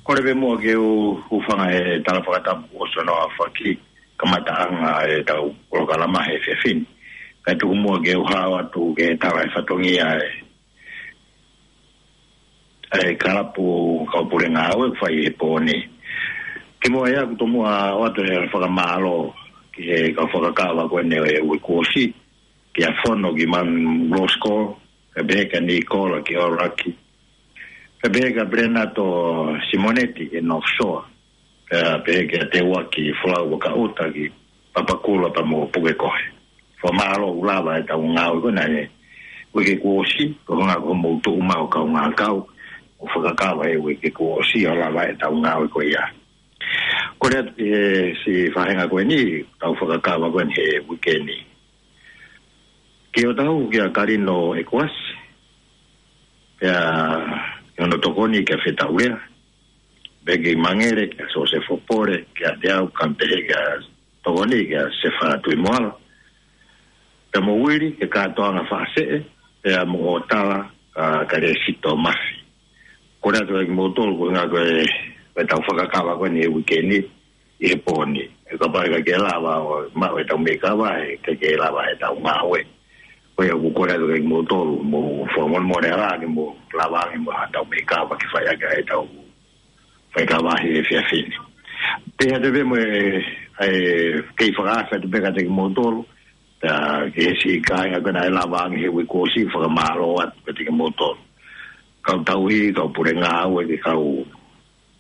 Kole pē muʻa ke u, u hūfanga he tala fakatapu ʻosi hono aofaki, kamataʻanga ʻetau polokalama he efiafi ni. Kae tuku muʻa ke u hao atu ke tala e fatongia e ʻa e kalapu kau pule ngāue ʻoku fai he pō ni. Kimuʻa ia ʻoku tomuʻa ʻoatu e fakamālō ki he kau fakakava ko eni ʻo e uike kuo ʻosi, kia Fono ki Manu Rosco, pea pehē kia Nikola ki ʻOlaki, pea pehē kia Pelēnato Simoneti ki North Shore, pea pehē kia Teuaki Folau Vakaʻuta ki Papakura pea mo Pukekohe. Fakamālō ʻoku lava ʻetau ngāue ko ena he uike kuo ʻosi, ko e ʻuhinga ko hoʻomou tuʻu mai ʻo kaungā kau, ʻo fakakava he uike kuo ʻosi ʻo lava ʻetau ngāue ko ia. Kole atu ki he siʻi faʻahinga ko eni, tau fakakava ko eni he uike ni. Ki hotau kia Kalino ʻEkuasi, pea ki hono tokoni kia Fetaulea, Beki Mangele, kia Sosefo Pole, kiate au, kae pehē kia tokoni, kia Sefa Tuʻimoala. Pea mo Uili, kia Katoanga Faʻaseʻe, pea mo Otala, ʻa, kia Lēsito Mafi. Kole atu kia kimoutolu, ko e ʻuhinga ko e, ko ʻetau fakakava ko eni he uike ni, ʻi he pō ni. ʻE kapau ʻe ʻikai ke lava ʻo maʻu ʻetau meʻi kava, ʻe ʻikai ke lava ʻetau ngāue. Ko ia ʻoku kole atu kia kimoutolu, mou fakamolemole ā ke mou lava ange mo haʻatau meʻi kava ke fai ʻaki ʻetau faikava he efiafi ni. Pehē atu pē mo e, ʻa e kei fakaafe atu pē kiate kimoutolu, pea ki he siʻi kāinga ko ena ʻe lava ange he uike kuo ʻosi, fakamālō atu kiate kimoutolu. Kau tauhi, kau pule ngāue, ki he kau,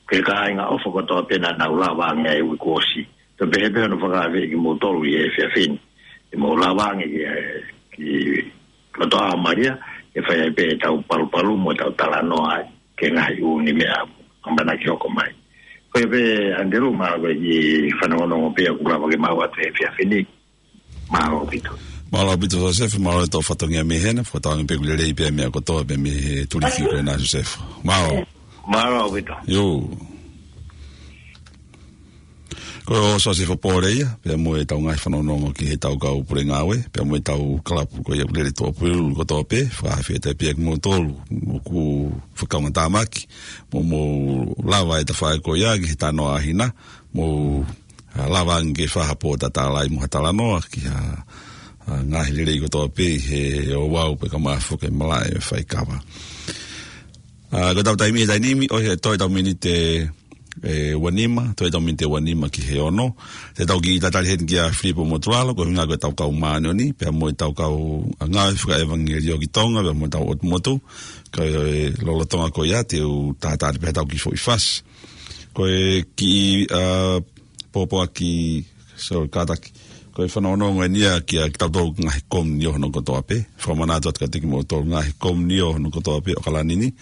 ki he kāinga ʻofa kotoa pē naʻa nau lava ange he uike kuo ʻosi. Pea pehē pē hono fakaafe kimoutolu ʻi he efiafi ni. Ke mou lava ange ki, ki loto ʻa Malia, ke fai ai pē ʻetau palupalu mo ʻetau talanoa ai ki he ngaahi ʻū meʻa ʻamanaki hoko mai. Ko ia pē, Andrew, mālō e kiʻi fanongonongo pē ʻoku lava ke maʻu atu he efiafi ni. Mālō ʻaupito. Mālō ʻaupito, Sosefo, mālō e tau fatongia mei hena, fakatauange pē ʻoku lelei pē meʻa kotoa pē mei he tuliki ko ena, Sosefo. Mālō. Mālō ʻaupito. ʻIo. Ko Sosefo Pole ia, pea mo ʻetau ngaahi fanongonongo ki heʻetau kau pule ngāue, pea mo ʻetau kalapu ko ia ʻoku lele tuʻapulelulu kotoa pē, fakaafe atu pē kia kimoutolu, ʻoku fakaongo tāmaki, mo, mou lava e tafaʻaki ko ia ki he tanoa ʻa hina, mou, ʻa, lava ange ke fai ha pō tatala ai mo ha talanoa ki ha, ʻa, ngaahi lelei kotoa pē he ouau pea ka mafu ke malaʻe faikava. ʻA, ko ʻetau taimi he taimi ni, ʻosi e toe ʻetau miniti ʻe, ʻe ua nima, toe ʻetau miniti ʻe ua nima ki he ono. Te tau kiʻi talitali heni kia Filipo Motuʻaloa, ko e ʻuhinga ko ʻetau kau māʻoniʻoni, pea mo ʻetau kau ngāue fakaʻevangeliō ki Tonga, pea mo ʻetau ʻotu motu, ka ʻi he lolotonga ko ia, te u talitali pē ʻetau kiʻi foʻi fasi. Ko e kiʻi, ʻa, pōpoaki, sorry, kātaki. Ko e fanongonongo eni ia kia kitautolu ngaahi komiunitī hono kotoa pē. Fakamanatu atu kiate kimoutolu ngaahi komiunitī hono kotoa pē ʻo ʻAokalani ni.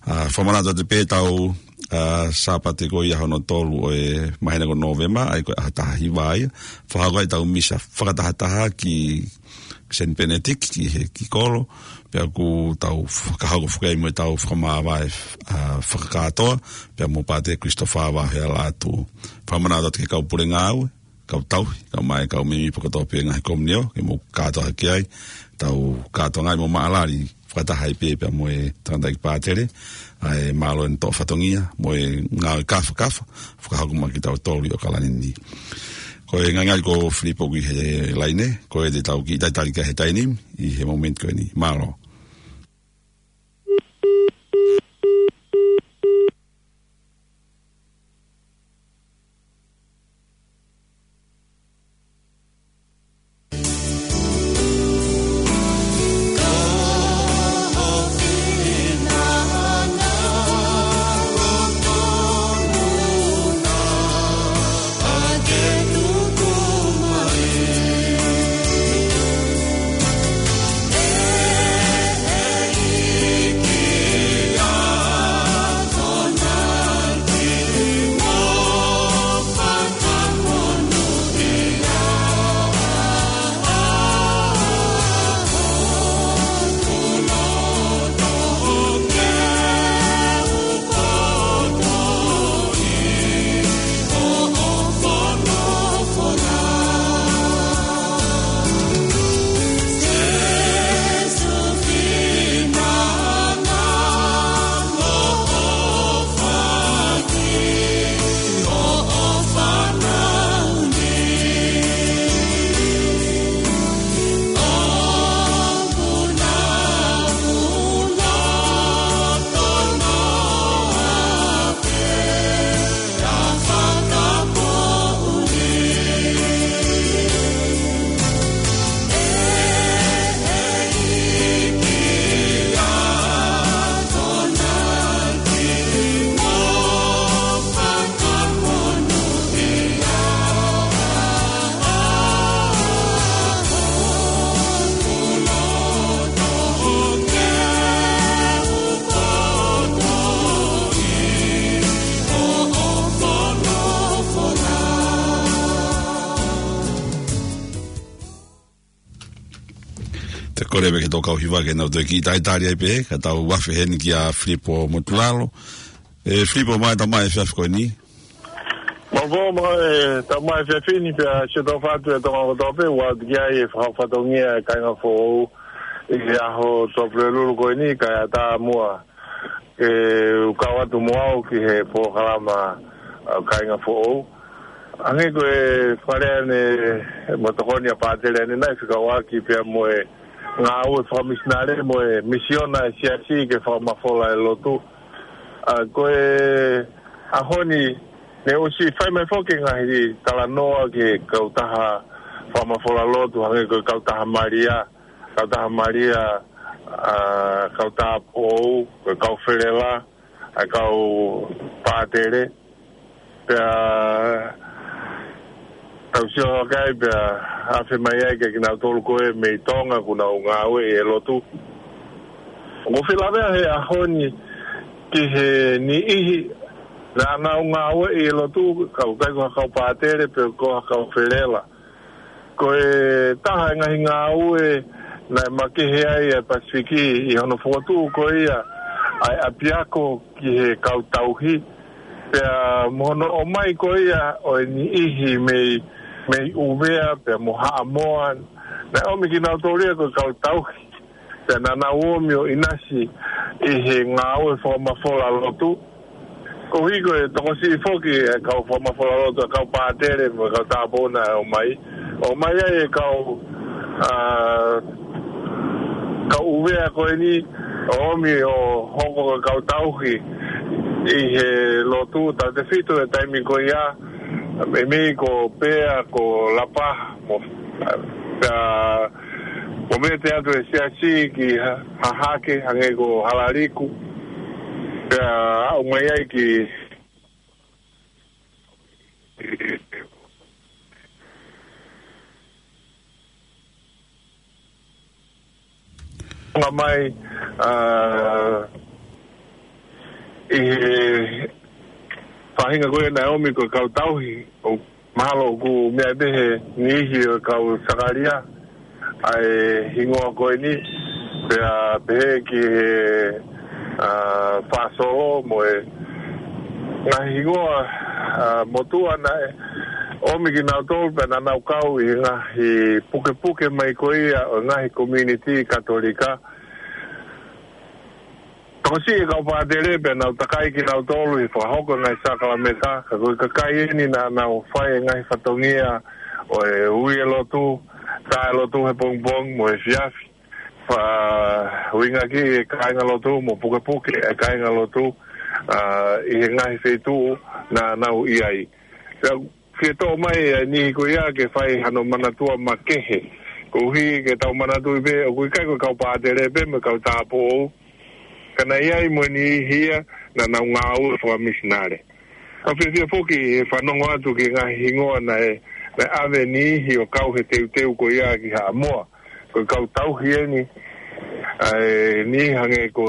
ʻA, fakamanatu atu pē ʻetau, ʻa Sāpate ko ia hono tolu ʻo e māhina ko Nōvema, ʻa ia ko e ʻaho taha hiva ia. Fakahoko ai ʻetau misa fakatahataha ki Saint Benedict, ki he, ki kolo, pea ʻoku tau fakahoko foki ai mo ʻetau fakamāvae, ʻa, fakakātoa, pea mo Pātele Christopher Vahea Lātū. Fakamanatu atu ki he kau pule ngāue, kau tauhi, kau mai, kau mēmipa kotoa pē ngaahi komiunitī, ke mou kātoa hake ai, tau kātoa ngāue mo maʻalali, fakataha ai pē pea mo e tangataʻeiki pātele, ʻa e mālō ʻene toʻo fatongia, mo e ngāue kāfakafa, fakahoko mai kiate kitautolu ʻi ʻOkalani ni. Ko e ngalingali ko Filipo ʻoku ʻi he laine, ko e te tau kiʻi talitali ki ai he taimi ni, ʻi he momeniti ko eni. Mālō. Te u kole pē ki he tau kau hiva ke nau toe kiʻi talitali ai pē, ka tau afe heni kia Filipo Motulalo. ʻE Filipo, mālō e tau mai efiafi ko eni. Mālō, mālō e tau mai efiafi ni pea sio tau fatu e Tonga kotoa pē, ʻoatu ki ai e fakafatongia e kāinga foʻou ʻi he ʻaho Tuʻapulelulu ko eni, kae ʻatā muʻa ke u kau atu mo au ki he polokalama, ʻa, kāinga foʻou. Hangē ko e fakalea ʻanenai mo e tokoni ʻa Pātele ʻanenai fekauʻaki pea mo e ngāue fakamisinale mo e misiona e siasi ke fakamafola e lotu. ʻA, ko e ʻaho ni, ne ʻosi fai mai foki e ngaahi talanoa ki he kautaha fakamafola lotu, hangē ko e kautaha Malia, kautaha Malia, ʻa, kautaha Pou, ko e kau Felela, ʻa e kau Pātele. Pea tau sio hake ai pea afe mai ai kia kinautolu ko ē mei Tonga ʻoku nau ngāueʻi e lotu. ʻOku ou fie lavea he ʻaho ni ki he niʻihi naʻa nau ngāueʻi e lotu, ka ʻoku ʻikai ko ha kau Pātele pe ko ha kau Felela. Ko e taha e ngaahi ngāue naʻe makehe ai e Pasifiki ʻi hono fokotuʻu ko ia ʻa e ʻapiako ki he kau tauhi. Pea mo hono ʻomai ko ia ʻo e niʻihi mei, mei ʻUvea, pea mo Haʻamoa, naʻe ʻomi kinautolu ia ko e kau tauhi. Pea naʻa nau ō mai ʻo ʻinasi ʻi he ngāue fakamafola lotu. Koeʻuhi ko e tokosiʻi foki e kau fakamafola lotu, e kau Pātele mo e kau Tāupoʻou naʻe ō mai. ʻOmai ai e kau, ʻa, kau ʻUvea ko eni, ʻo ō mai ʻo hoko ko e kau tauhi ʻi he lotu, tautefito e taimi ko ia, meimei ko Pea, ko Lapaha, mo, pea ʻoku mete atu e siasi ki Ha-, Hahake, hangē ko Halaliku. Pea aʻu mai ai ki Tonga mai, ʻa, ʻi he ʻuhinga ko ē naʻe ʻomi ko e kau tauhi, ʻo mahalo ʻoku meʻa pē he niʻihi ʻo e kau sakalia ʻa e hingoa ko eni, pea pehē ki he, ʻa, Fasolo mo e ngaahi hingoa, ʻa, motuʻa naʻe ʻomi kinautolu pea naʻa nau kau ʻi he ngaahi pukepuke mai ko ia ʻo e ngaahi community Katolika. Tokosiʻi e kau pātele pea nau takai kinautolu he fakahoko e ngaahi sakalameta, ka ko e kakai eni naʻa nau fai e ngaahi fatongia ʻo e ui e lotu, tā e lotu he pongipongi mo e efiafi. Fa-, ʻuhinga ki he kāingalotu mo pukepuke e kāingalotu, ʻa, ʻi he ngaahi feituʻu naʻa nau ʻi ai. Pea fie toʻo mai e niʻihi ko ia ke fai hano manatua makehe. Koeʻuhi ke tau manatuʻi pē, ʻoku ʻikai ko e kau pātele pē mo e kau tāupoʻou. Ka naʻe ʻi ai mo e niʻihi ia naʻa nau ngāue fakamisinale. ʻOku fiefia foki he fanongo atu ki he ngaahi hingoa naʻe, naʻe ʻave e niʻihi ʻo kau he teuteu ko ia ki Haʻamoa. Ko e kau tauhi eni, ʻa e niʻihi hangē ko,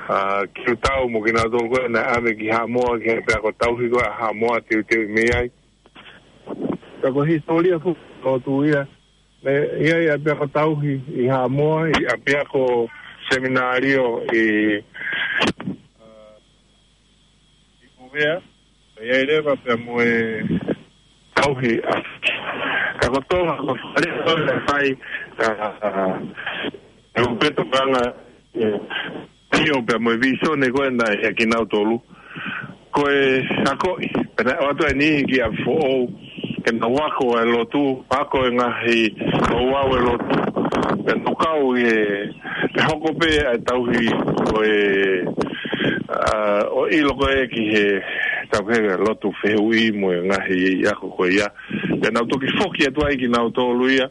ʻa, Kiutau mo kinautolu ko ē naʻe ʻave ki Haʻamoa, ki he ʻapiako tauhi ko ē ʻa Haʻamoa teuteu mei ai. Ka ko e hisitōlia foki ʻo e lotu ia, naʻe ʻi ai e ʻapiako tauhi ʻi Haʻamoa, ʻi he ʻapiako seminalio ʻi, ʻa, ʻi Uvea, ʻi ai leva pea mo e tauhi ʻa. Ka ko Tonga, ko e fale ko ē naʻe fai, ʻa, ʻa, e upeto kanga, ʻe, ʻio pea mo e visone ko ē naʻe ʻia kinautolu. Ko e akoʻi, pea naʻe ʻoatu e niʻihi ki ʻapi foʻou, ke nau ako e lotu, ako e ngaahi, nau au e lotu, pea nau kau ʻi he, he hoko pē ʻa e tauhi ko e, ʻa, ʻo ʻilo ko ē ki he tauhi e lotu fehuʻi mo e ngaahi ako ko ia. Pea nau toki foki atu ai kinautolu ia,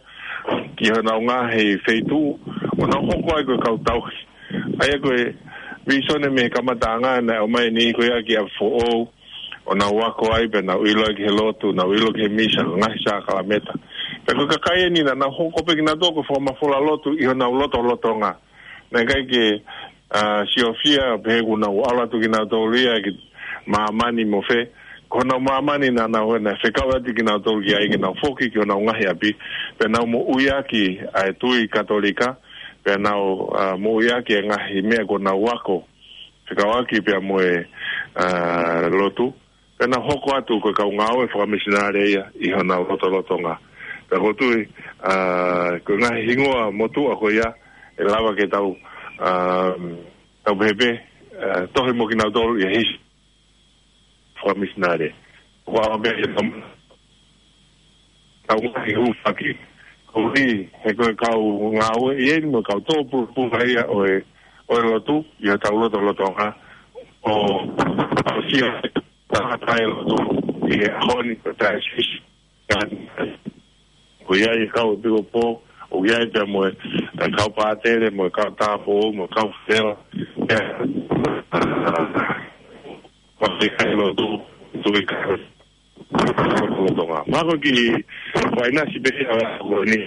ki honau ngaahi feituʻu, ʻo nau hoko ai ko e kau tauhi. ʻA ia ko e visone mei he kamataʻanga naʻe ʻomai e niʻihi ko ia ki ʻapi foʻou, ʻo nau ako ai pea nau ʻilo ai ki he lotu, nau ʻilo ki he misa, ngaahi sakalameta. Pea ko e kakai eni naʻa nau hoko pē kinautolu ko e fakamafola lotu ʻi honau lotolotonga. Naʻe ʻikai ke, ʻa, siofia, pehē kuo nau ʻalu atu kinautolu ia ki māmani mo fē. Ko honau māmani naʻa nau, naʻe fekau atu kinautolu ki ai ke nau foki ki honau ngaahi ʻapi. Pea nau moʻuiʻaki ʻa e tui Katolika. Pea nau, ʻa, moʻuiʻaki e ngaahi meʻa kuo nau ako. Fekauʻaki pea mo e, ʻa, lotu. Pea nau hoko atu ko e kau ngāue fakamisinale ia ʻi honau lotolotonga. Pea ʻoku ou tui, ʻa, ko e ngaahi hingoa motuʻa ko ia, ʻe lava ke tau, ʻa, tau pehē pē, ʻa, tohi mo kinautolu ʻi he hisi fakamisinale. Ko au pē ia tam-, tau ngaahi hūfaki. Koeʻuhi, he ko e kau ngāue ʻi heni mo e kau tōpulupulu ia ʻo e, ʻo e lotu, ʻi hotau lotolotonga. ʻO, ʻo sia, tangata e lotu, ʻi he ʻaho ni, ko e tae sisi. Ko ia e kau ʻepiskopo, ʻoku ʻi ai pea mo e, e kau pātele, mo e kau tāupoʻou, mo e kau fela. Pea, ʻa, ʻa, ʻa, ʻa, ʻa, lotu, tu i ka, lotu, lotu, lotu, lotu, lotu. Mako ki, ko e ʻinasi pē ia ko eni.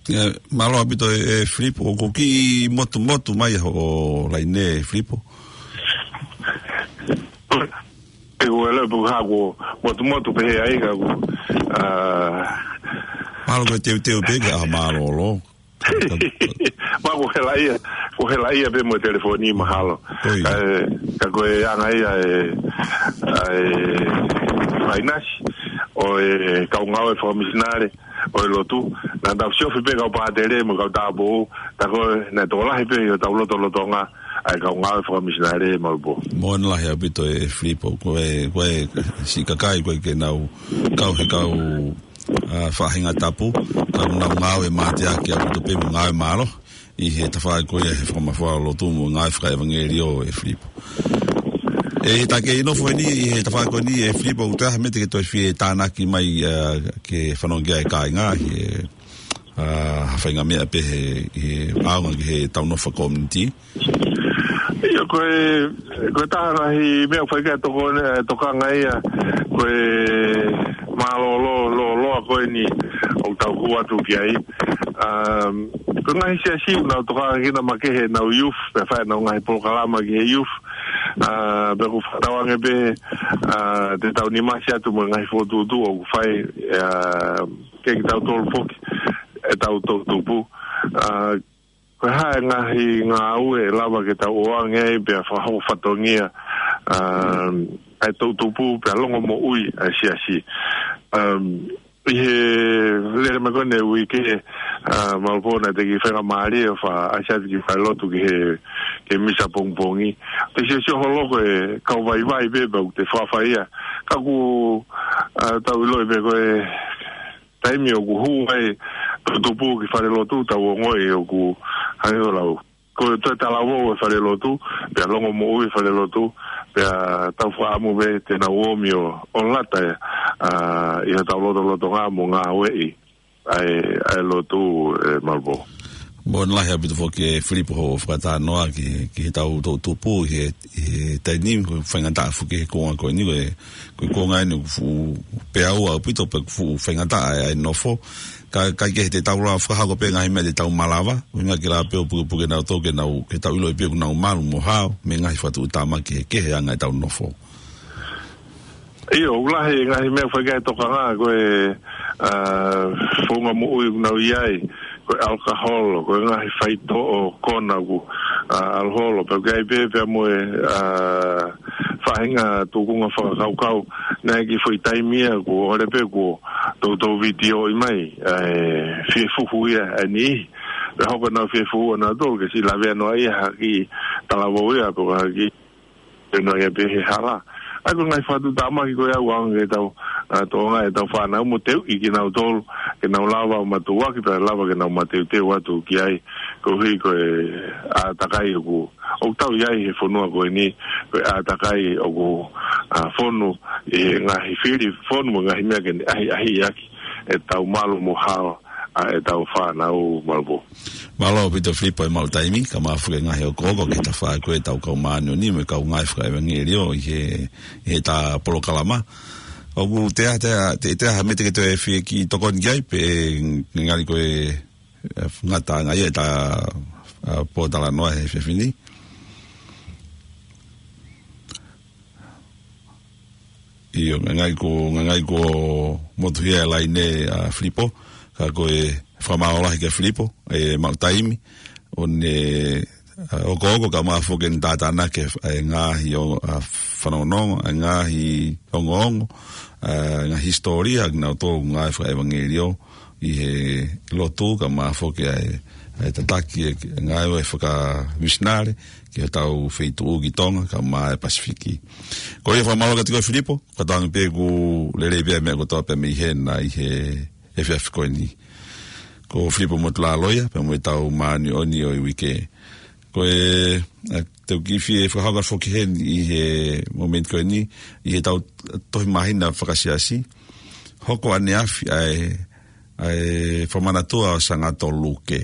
ʻIo, mālō ʻaupito e, e Filipo, ʻoku kiʻi motumotu mai hoʻo laine, Filipo. ʻE, ʻoku ou ʻilo pe ko e hā kuo motumotu pehē ai ka ʻoku, ʻa, mālō ko e teuteu pē ke ʻā mālōlō. Pea ko e hela ia, ko e hela ia pē mo e telefoni mahalo. ʻIo. Ka, ka ko e anga ia e, e, ʻinasi ʻo e kau ngāue fakamisinale ʻo e lotu. Naʻa tau siofi pē kau pātele mo e kau tāupoʻou, tā ko ē naʻe tokolahi pē ʻi hotau lotolotonga ʻa e kau ngāue fakamisinale malu pō. Moʻoni lahi ʻaupito e Filipo, ko e, ko e siʻi kakai ko ē ke nau kau he kau, ʻa, faʻahinga tapu, ka nau ngāue mateaki ʻaupito pē mo ngāue mālohi ʻi he tafaʻaki ko ia he fakamafola lotu mo ngāue fakaʻevangelio e Filipo. ʻE, tā ke nofo eni ʻi he tafaʻaki ko eni e Filipo, ʻoku toe ʻi ai ha meʻa te ke toe fie tānaki mai, ʻa, ke fanongo ki ai e kāinga, he, ʻa, ha faʻahinga meʻa pē he, he ʻaonga ki he tau nofo community. ʻIo, ko e, ko e taha ngaahi meʻa ʻoku fai ki ai e toko-, e tokanga ia, ko e mālōlō, lōloa ko eni ʻoku tau hū atu ki ai. Um, ko e ngaahi siasi ʻoku nau tokanga ki ai makehe ʻenau youth, pea fai ʻenau ngaahi polokalama ki he youth. ʻA, pea ʻoku fakatauange pē, ʻa, te tau nimasi atu mo e ngaahi fokotuʻutuʻu ʻoku fai, ʻa, ke kitautolu foki ʻetau toʻutupu. ʻA, ko e hā e ngaahi ngāue ʻe lava ke tau ʻoange ai pea fakahoko fatongia, ʻa, ʻa e toʻutupu pea longomoʻui ʻa e siasi. ʻA, ʻi he lele mai ko eni e uike, ʻa, Malupō, naʻe teʻeki faingamālie ʻo fakaʻasi atu ki falelotu ki he, ki he misa pongipongi. Te siosio holo ko e kau vaivai pē pea ʻoku te fakafai ia. Ka ʻoku, ʻa, tau ʻiloʻi pē ko e taimi ʻoku hū ai toʻutupu ki falelotu, tau ongoʻi ʻoku hangē ko e lau, ko e toe talavou e falelotu, pea longomoʻui e falelotu, pea tau fakaʻamu pē te nau omi ʻo, ʻo lata ia, ʻa, ʻi hotau lotolotonga mo ngāueʻi ʻa e, ʻa e lotu, ʻe Malupō. Mālō lahi ʻaupito foki ʻe Filipo hoʻo fakatalanoa ki, ki heʻetau toʻutupu ʻi he, ʻi he taimi ni, ko e faingataʻa foki he kuonga ko eni, ko e, ko e kuonga eni ʻoku fuʻu peau ʻaupito pea ʻoku fuʻu faingataʻa ʻa e, ʻa e nofo. Ka, ka ʻikai ke te tau lava fakahoko pē ngaahi meʻa te tau malava, ʻuhinga ke lava pē ʻo pukepuke nautolu ke nau, ke tau ʻiloʻi pē ʻoku nau malu mo hao, mei he ngaahi fakatuʻutāmaki kehekehe ʻa e anga ʻetau nofo. ʻIo, ʻoku lahi e ngaahi meʻa ʻoku ʻikai tokanga, ko e, ʻa, founga moʻui ʻoku nau ʻi ai, ko e ʻalakaholo, ko e ngaahi faitoʻo kona ʻoku, ʻa, ʻalakaholo, pea ʻoku ʻi ai pē, pea mo e, ʻa, faʻahinga tūkunga fakakaukau, naʻe ʻi ai e kiʻi foʻi taimi ia kuo ʻohovale pē kuo toutou vitiōʻi mai, ʻa e fiefuhu ia ʻa e niʻihi. Pea hoko ʻenau fiefuhu ʻanautolu ke siʻi lavea noa ia ha kiʻi talavou ia, pe ko ha kiʻi pea noa ia pē he hala. ʻA ia ko e ngaahi fakatuʻutāmaki ko ia ʻoku ʻaonga ke tau, ʻa, toʻonga ʻetau fānau mo teuʻi kinautolu, ke nau lava ʻo matuʻuaki pea lava ke nau mateuteu atu ki ai, koeʻuhi ko e ʻātakai ʻoku, ʻoku tau ʻi ai he fonua ko eni, ko e ʻātakai ʻoku, ʻa, fonu ʻi he ngaahi fili fonu mo e ngaahi meʻa ke ne ʻahiʻahiʻaki ʻetau malu mo hao ʻa ʻetau fānau, Malupō. Mālō ʻaupito Filipo ʻi he maʻu taimi, kae ʻumaʻā foki e ngaahi okooko ki he tafaʻaki ʻo ʻetau kau māʻoniʻoni mo e kau ngāue fakaʻevangeliō ʻi he, ʻi heʻeta polokalama. ʻOku te, te, te, te ha meʻa te ke toe fie kiʻi tokoni ki ai pe ngali ko e, ʻe, ngataʻanga ia ʻeta, ʻa, pōtalanoa he efiafi ni. ʻIo, ngai ko, ngai ko motuhia e laine ʻa Filipo, ka ko e fakamālō lahi kia Filipo, ʻi he maʻu taimi, ʻo ne, ʻa, okooko kae ʻumaʻā foki ʻene tātānaki e ngaahi ʻo, ʻa, fanongonongo, ʻa e ngaahi ongoongo, ʻa, ngaahi hisitōlia, kinautolu ngāue fakaʻevangeliō, ʻi he lotu kae ʻumaʻā foki ʻa e, ʻa e tataki e ngāue fakamisinale, ki hotau feituʻu ki Tonga, kae ʻumaʻā e Pasifiki. Ko ia fakamālō kiate koe Filipo, fakatauange pē ʻoku lelei pē ʻa e meʻa kotoa pē mei hena ʻi he efiafi ko eni. Ko Filipo Motulaloia, pea mo ʻetau māʻoniʻoni ʻo e uike. Ko e, ʻa, te u kiʻi fie fakahoko foki heni ʻi he momeniti ko eni, ʻi heʻetau tohi māhina fakasiasi, hoko ʻaneafi ʻa e, ʻa e fakamanatua ʻo Sangato Luke.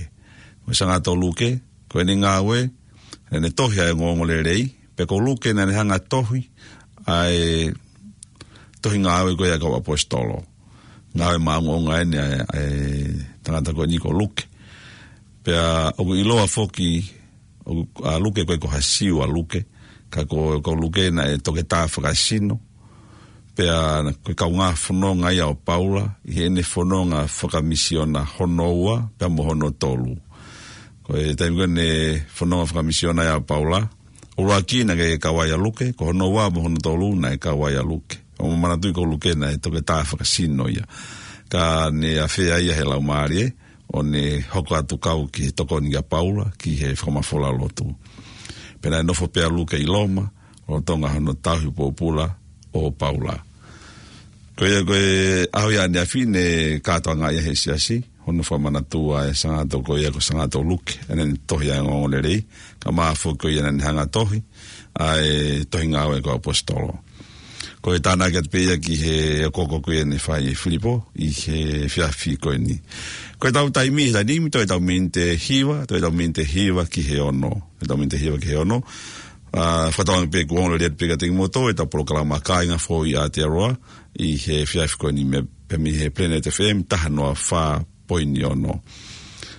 Ko Sangato Luke, ko ʻene ngāue, ʻene tohi ʻa e Ongoongolelei, pea ko Luke naʻa ne hanga tohi ʻa e tohi ngāue ko ia ʻa e kau ʻaposetolo. Ngāue maʻongoʻonga eni ʻa e, ʻa e tangata ko eni ko Luke. Pea ʻoku ʻiloa foki, ʻoku, ʻa Luke ko e ko ha Siu ʻa Luke, ka ko, ko Luke naʻe toketā fakasino, pea ko e kaungā fononga ia ʻo Paula, ʻi heʻene fononga fakamisiona hono ua, pea mo hono tolu. Ko e taimi ko ē ʻene fononga fakamisiona ia ʻo Paula, ʻuluaki naʻe kau ai ʻa Luke, ko hono ua mo hono tolu naʻe kau ai ʻa Luke. ʻOku ou manatuʻi ko Luke naʻe toketā fakasino ia. Ka ne ʻafea ia he Laumālie, ʻo ne hoko atu kau ki he tokoni kia Paula, ki he fakamafola lotu. Pea naʻe nofo pē ʻa Luke ʻi Loma, lolotonga hono tauhi pōpula ʻo Paula. Ko ia ko e ʻaho ia ʻaneafi ne kātoanga ia he siasi, hono fakamanatua e Sangato ko ia ko Sangato Luke, ʻene tohi ʻa e Ongoongolelei, kae ʻumaʻā foki ko ia naʻa ne hanga tohi, ʻa e tohi ngāue ʻa e kau ʻaposetolo. Ko e tānaki atu pē ia ki he okooko ko ia ne fai ʻe Filipo ʻi he efiafi ko eni. Ko ʻetau taimi he taimi ni, toe ʻetau miniti ʻe hiva, toe ʻetau miniti ʻe hiva ki he ono. ʻEtau miniti ʻe hiva ki he ono. ʻA, fakatauange pē kuo ongo lelei atu pē kiate kimoutolu ʻetau polokalama Kāinga Foʻou ʻi Aotearoa ʻi he efiafi ko eni mei, pea mei he Planet F M taha noa fā poini ono.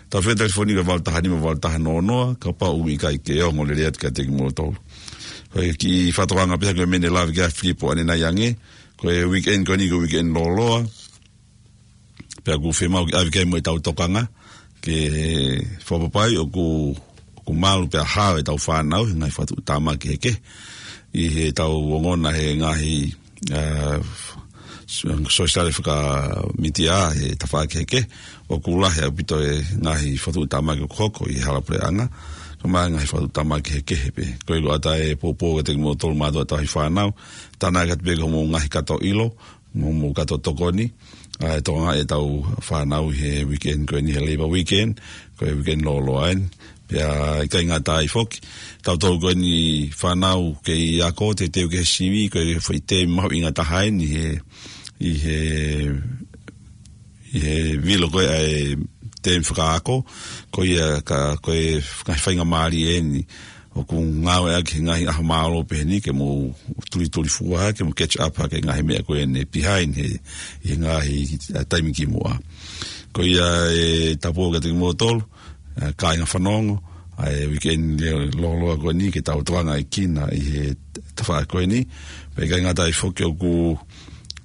Tau fie telefoni ki he valu taha nima valu taha noa noa, kapau ʻoku ʻikai ke ongo lelei atu kiate kimoutolu. Ko e kiʻi fakatokanga pē ia ko e meʻa ne lave ki ai ʻa Filipo ʻanenai ange, ko e weekend ko eni ko e weekend lōloa. Pea ʻoku fiemaʻu ke ʻave ki ai mo ʻetau tokanga, ke fakapapai ʻoku, ʻoku malu pea hao ʻetau fānau he ngaahi fakatuʻutāmaki kehekehe. ʻI heʻetau ongona he ngaahi, ā, s-, sōsiale fakamītia he tafaʻaki kehekehe, ʻoku lahi ʻaupito e ngaahi fakatuʻutāmaki ʻoku hoko ʻi he hala puleʻanga, kae ʻumaʻā e ngaahi fakatuʻutāmaki kehekehe pē. Ko ia ko ʻata e poupou kiate kimoutolu mātuʻa tauhi fānau, tānaki atu pē ki hoʻomou ngaahi kato ʻilo, mo, mo e kato tokoni, ā, ʻe tokanga ʻetau fānau he weekend ko eni he Labour Weekend, ko e weekend lōloa eni. Pea ʻikai ngata ai foki, tautolu ko eni fānau kei ako, teuteu ki he sivi, ko e foʻi temi mahuʻinga taha eni he, ʻi he, ʻi he vilo ko ē ʻa e temi fakaako, ko ia ka, ko e ngaahi faingamālie eni ʻoku ngāueʻaki he ngaahi ʻaho mālōlō pehē ni ke mou tulituli fua, ke mou catch up hake he ngaahi meʻa ko eni behind he, he ngaahi, ā, taimi kimuʻa. Ko ia ʻe tapu kiate kimoutolu, ā, kāinga fanongo, ʻa e weekend lōloa ko eni ke tau tokangaʻi kinaua ʻi he tafaʻaki ko eni. Pea ʻikai ngata ai foki ʻoku,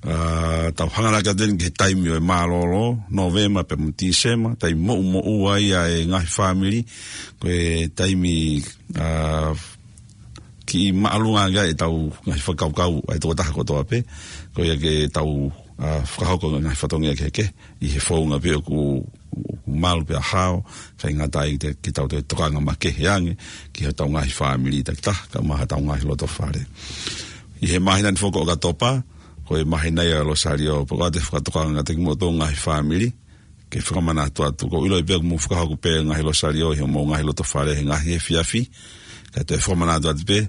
ā, tau hanganaki atu eni ki he taimi ʻo e mālōlō, Nōvema pea mo Tīsema, taimi moʻumoʻua ia ʻa e ngaahi fāmili, ko e taimi, ā, kiʻi māʻolunga ange ai ʻetau ngaahi fakakaukau ʻa e tokotaha kotoa pē, ko ia ke tau, ā, fakahoko ngaahi fatongia kehekehe, ʻi he founga pē ʻoku, ʻoku malu pea hao, ʻikai ngata ai te, ke tau toe tokanga makehe ange ki hotau ngaahi fāmili takitaha, kae ʻumaʻā hotau ngaahi loto fale. ʻI he māhina ni foki ʻo ʻOkatopa, ko e māhina ia ʻo e Losalio, pea ʻoku ou fakatokanga kiate kimoutolu ngaahi fāmili, ke fakamanatu atu. ʻOku ou ʻilo pē ʻoku mou fakahoko pē ngaahi Losalio ʻi hoʻomou ngaahi loto fale he ngaahi efiafi. Kae toe fakamanatu atu pē,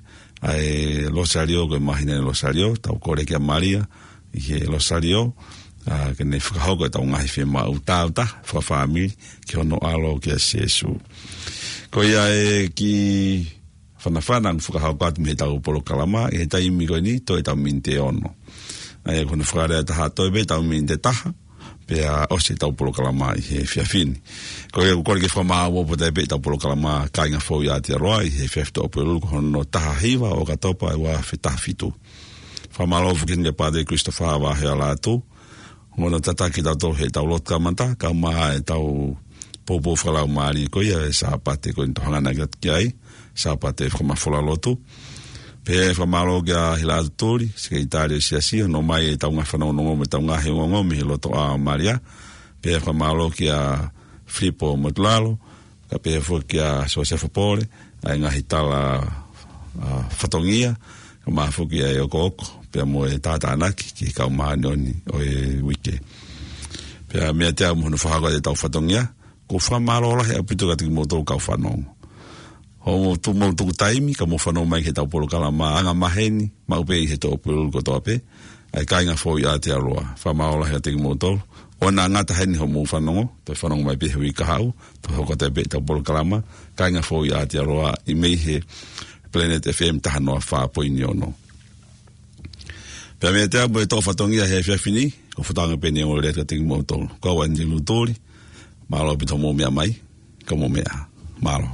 ʻa e Losalio, ko e māhina ʻo e Losalio, tau kole kia Malia ʻi he Losalio, ā, ke ne fakahoko ʻetau ngaahi fiemaʻu tāutaha fakafāmili ki hono ʻAlo kia Sīsū. Ko ia e kiʻi fanafana ʻoku fakahoko atu mei heʻetau polokalama, ʻi he taimi ko eni, toe ʻetau miniti ʻe ono. ʻA ia ko hono fakalea ʻe taha, toe pē ʻetau miniti ʻe taha, pea ʻosi ʻetau polokalama ʻi he efiafi ni. Ko ia ʻoku ou kole ke fakamāʻopoʻopo atu pē ʻetau polokalama Kāinga Fou ʻi Aotearoa ʻi he efiafi Tuʻapulelulu ko hono taha hiva ʻo ʻOkatopa ʻo e ua afe taha fitu. Fakamālō foki kia Pātele Christopher Vahealatu, ʻoku ne tataki kitautolu heʻetau lotu kamata, kae ʻumaʻā ʻetau poupou fakalaumālie ko ia ʻo e Sāpate ko eni ʻoku tau hanganaki atu ki ai, Sāpate fakamafola lotu. Pea fakamālō kia Hilaʻatu Tuli, Sekelitali ʻo e Siasi, hono ʻomai ʻetau ngaahi fanongonongo mo ʻetau ngaahi ongoongo mei he lotoʻā ʻo Malia. Pea fakamālō kia Filipo Motulalo, kae pehē foki kia Siosefa Pole, ʻa e ngaahi tala, ā, fatongia, kae ʻumaʻā foki ʻa e okooko, pea mo e tātānaki ki he kau māʻoniʻoni ʻo e uike. Pea meiate au mo hono fakahoko ʻetau fatongia, ʻoku ou fakamālō lahi ʻaupito kiate kimoutolu kau fanongo. Hoʻomou tu-, mou tuku taimi, kae mou fanongo mai ki heʻetau polokalama angamaheni, maʻu pē ʻi he Tuʻapulelulu kotoa pē, ʻa e Kāinga Fou ʻi Aotearoa. Fakamālō lahi kiate kimoutolu. ʻOua naʻa ngata heni hoʻomou fanongo, toe fanongo mai pē he uike kahaʻu, toe hoko atu pē ʻetau polokalama, Kāinga Fou ʻi Aotearoa, ʻi mei he Planet F M taha noa fā poini ono. Pea meiate au mo e toʻo fatongia he efiafi ni, ko e fakatokanga pē eni ʻoku ou lea atu kiate kimoutolu. Ko au ʻAnilū Tuli, mālō ʻaupito hoʻomou meʻa mai, ka mou meʻa. Mālō.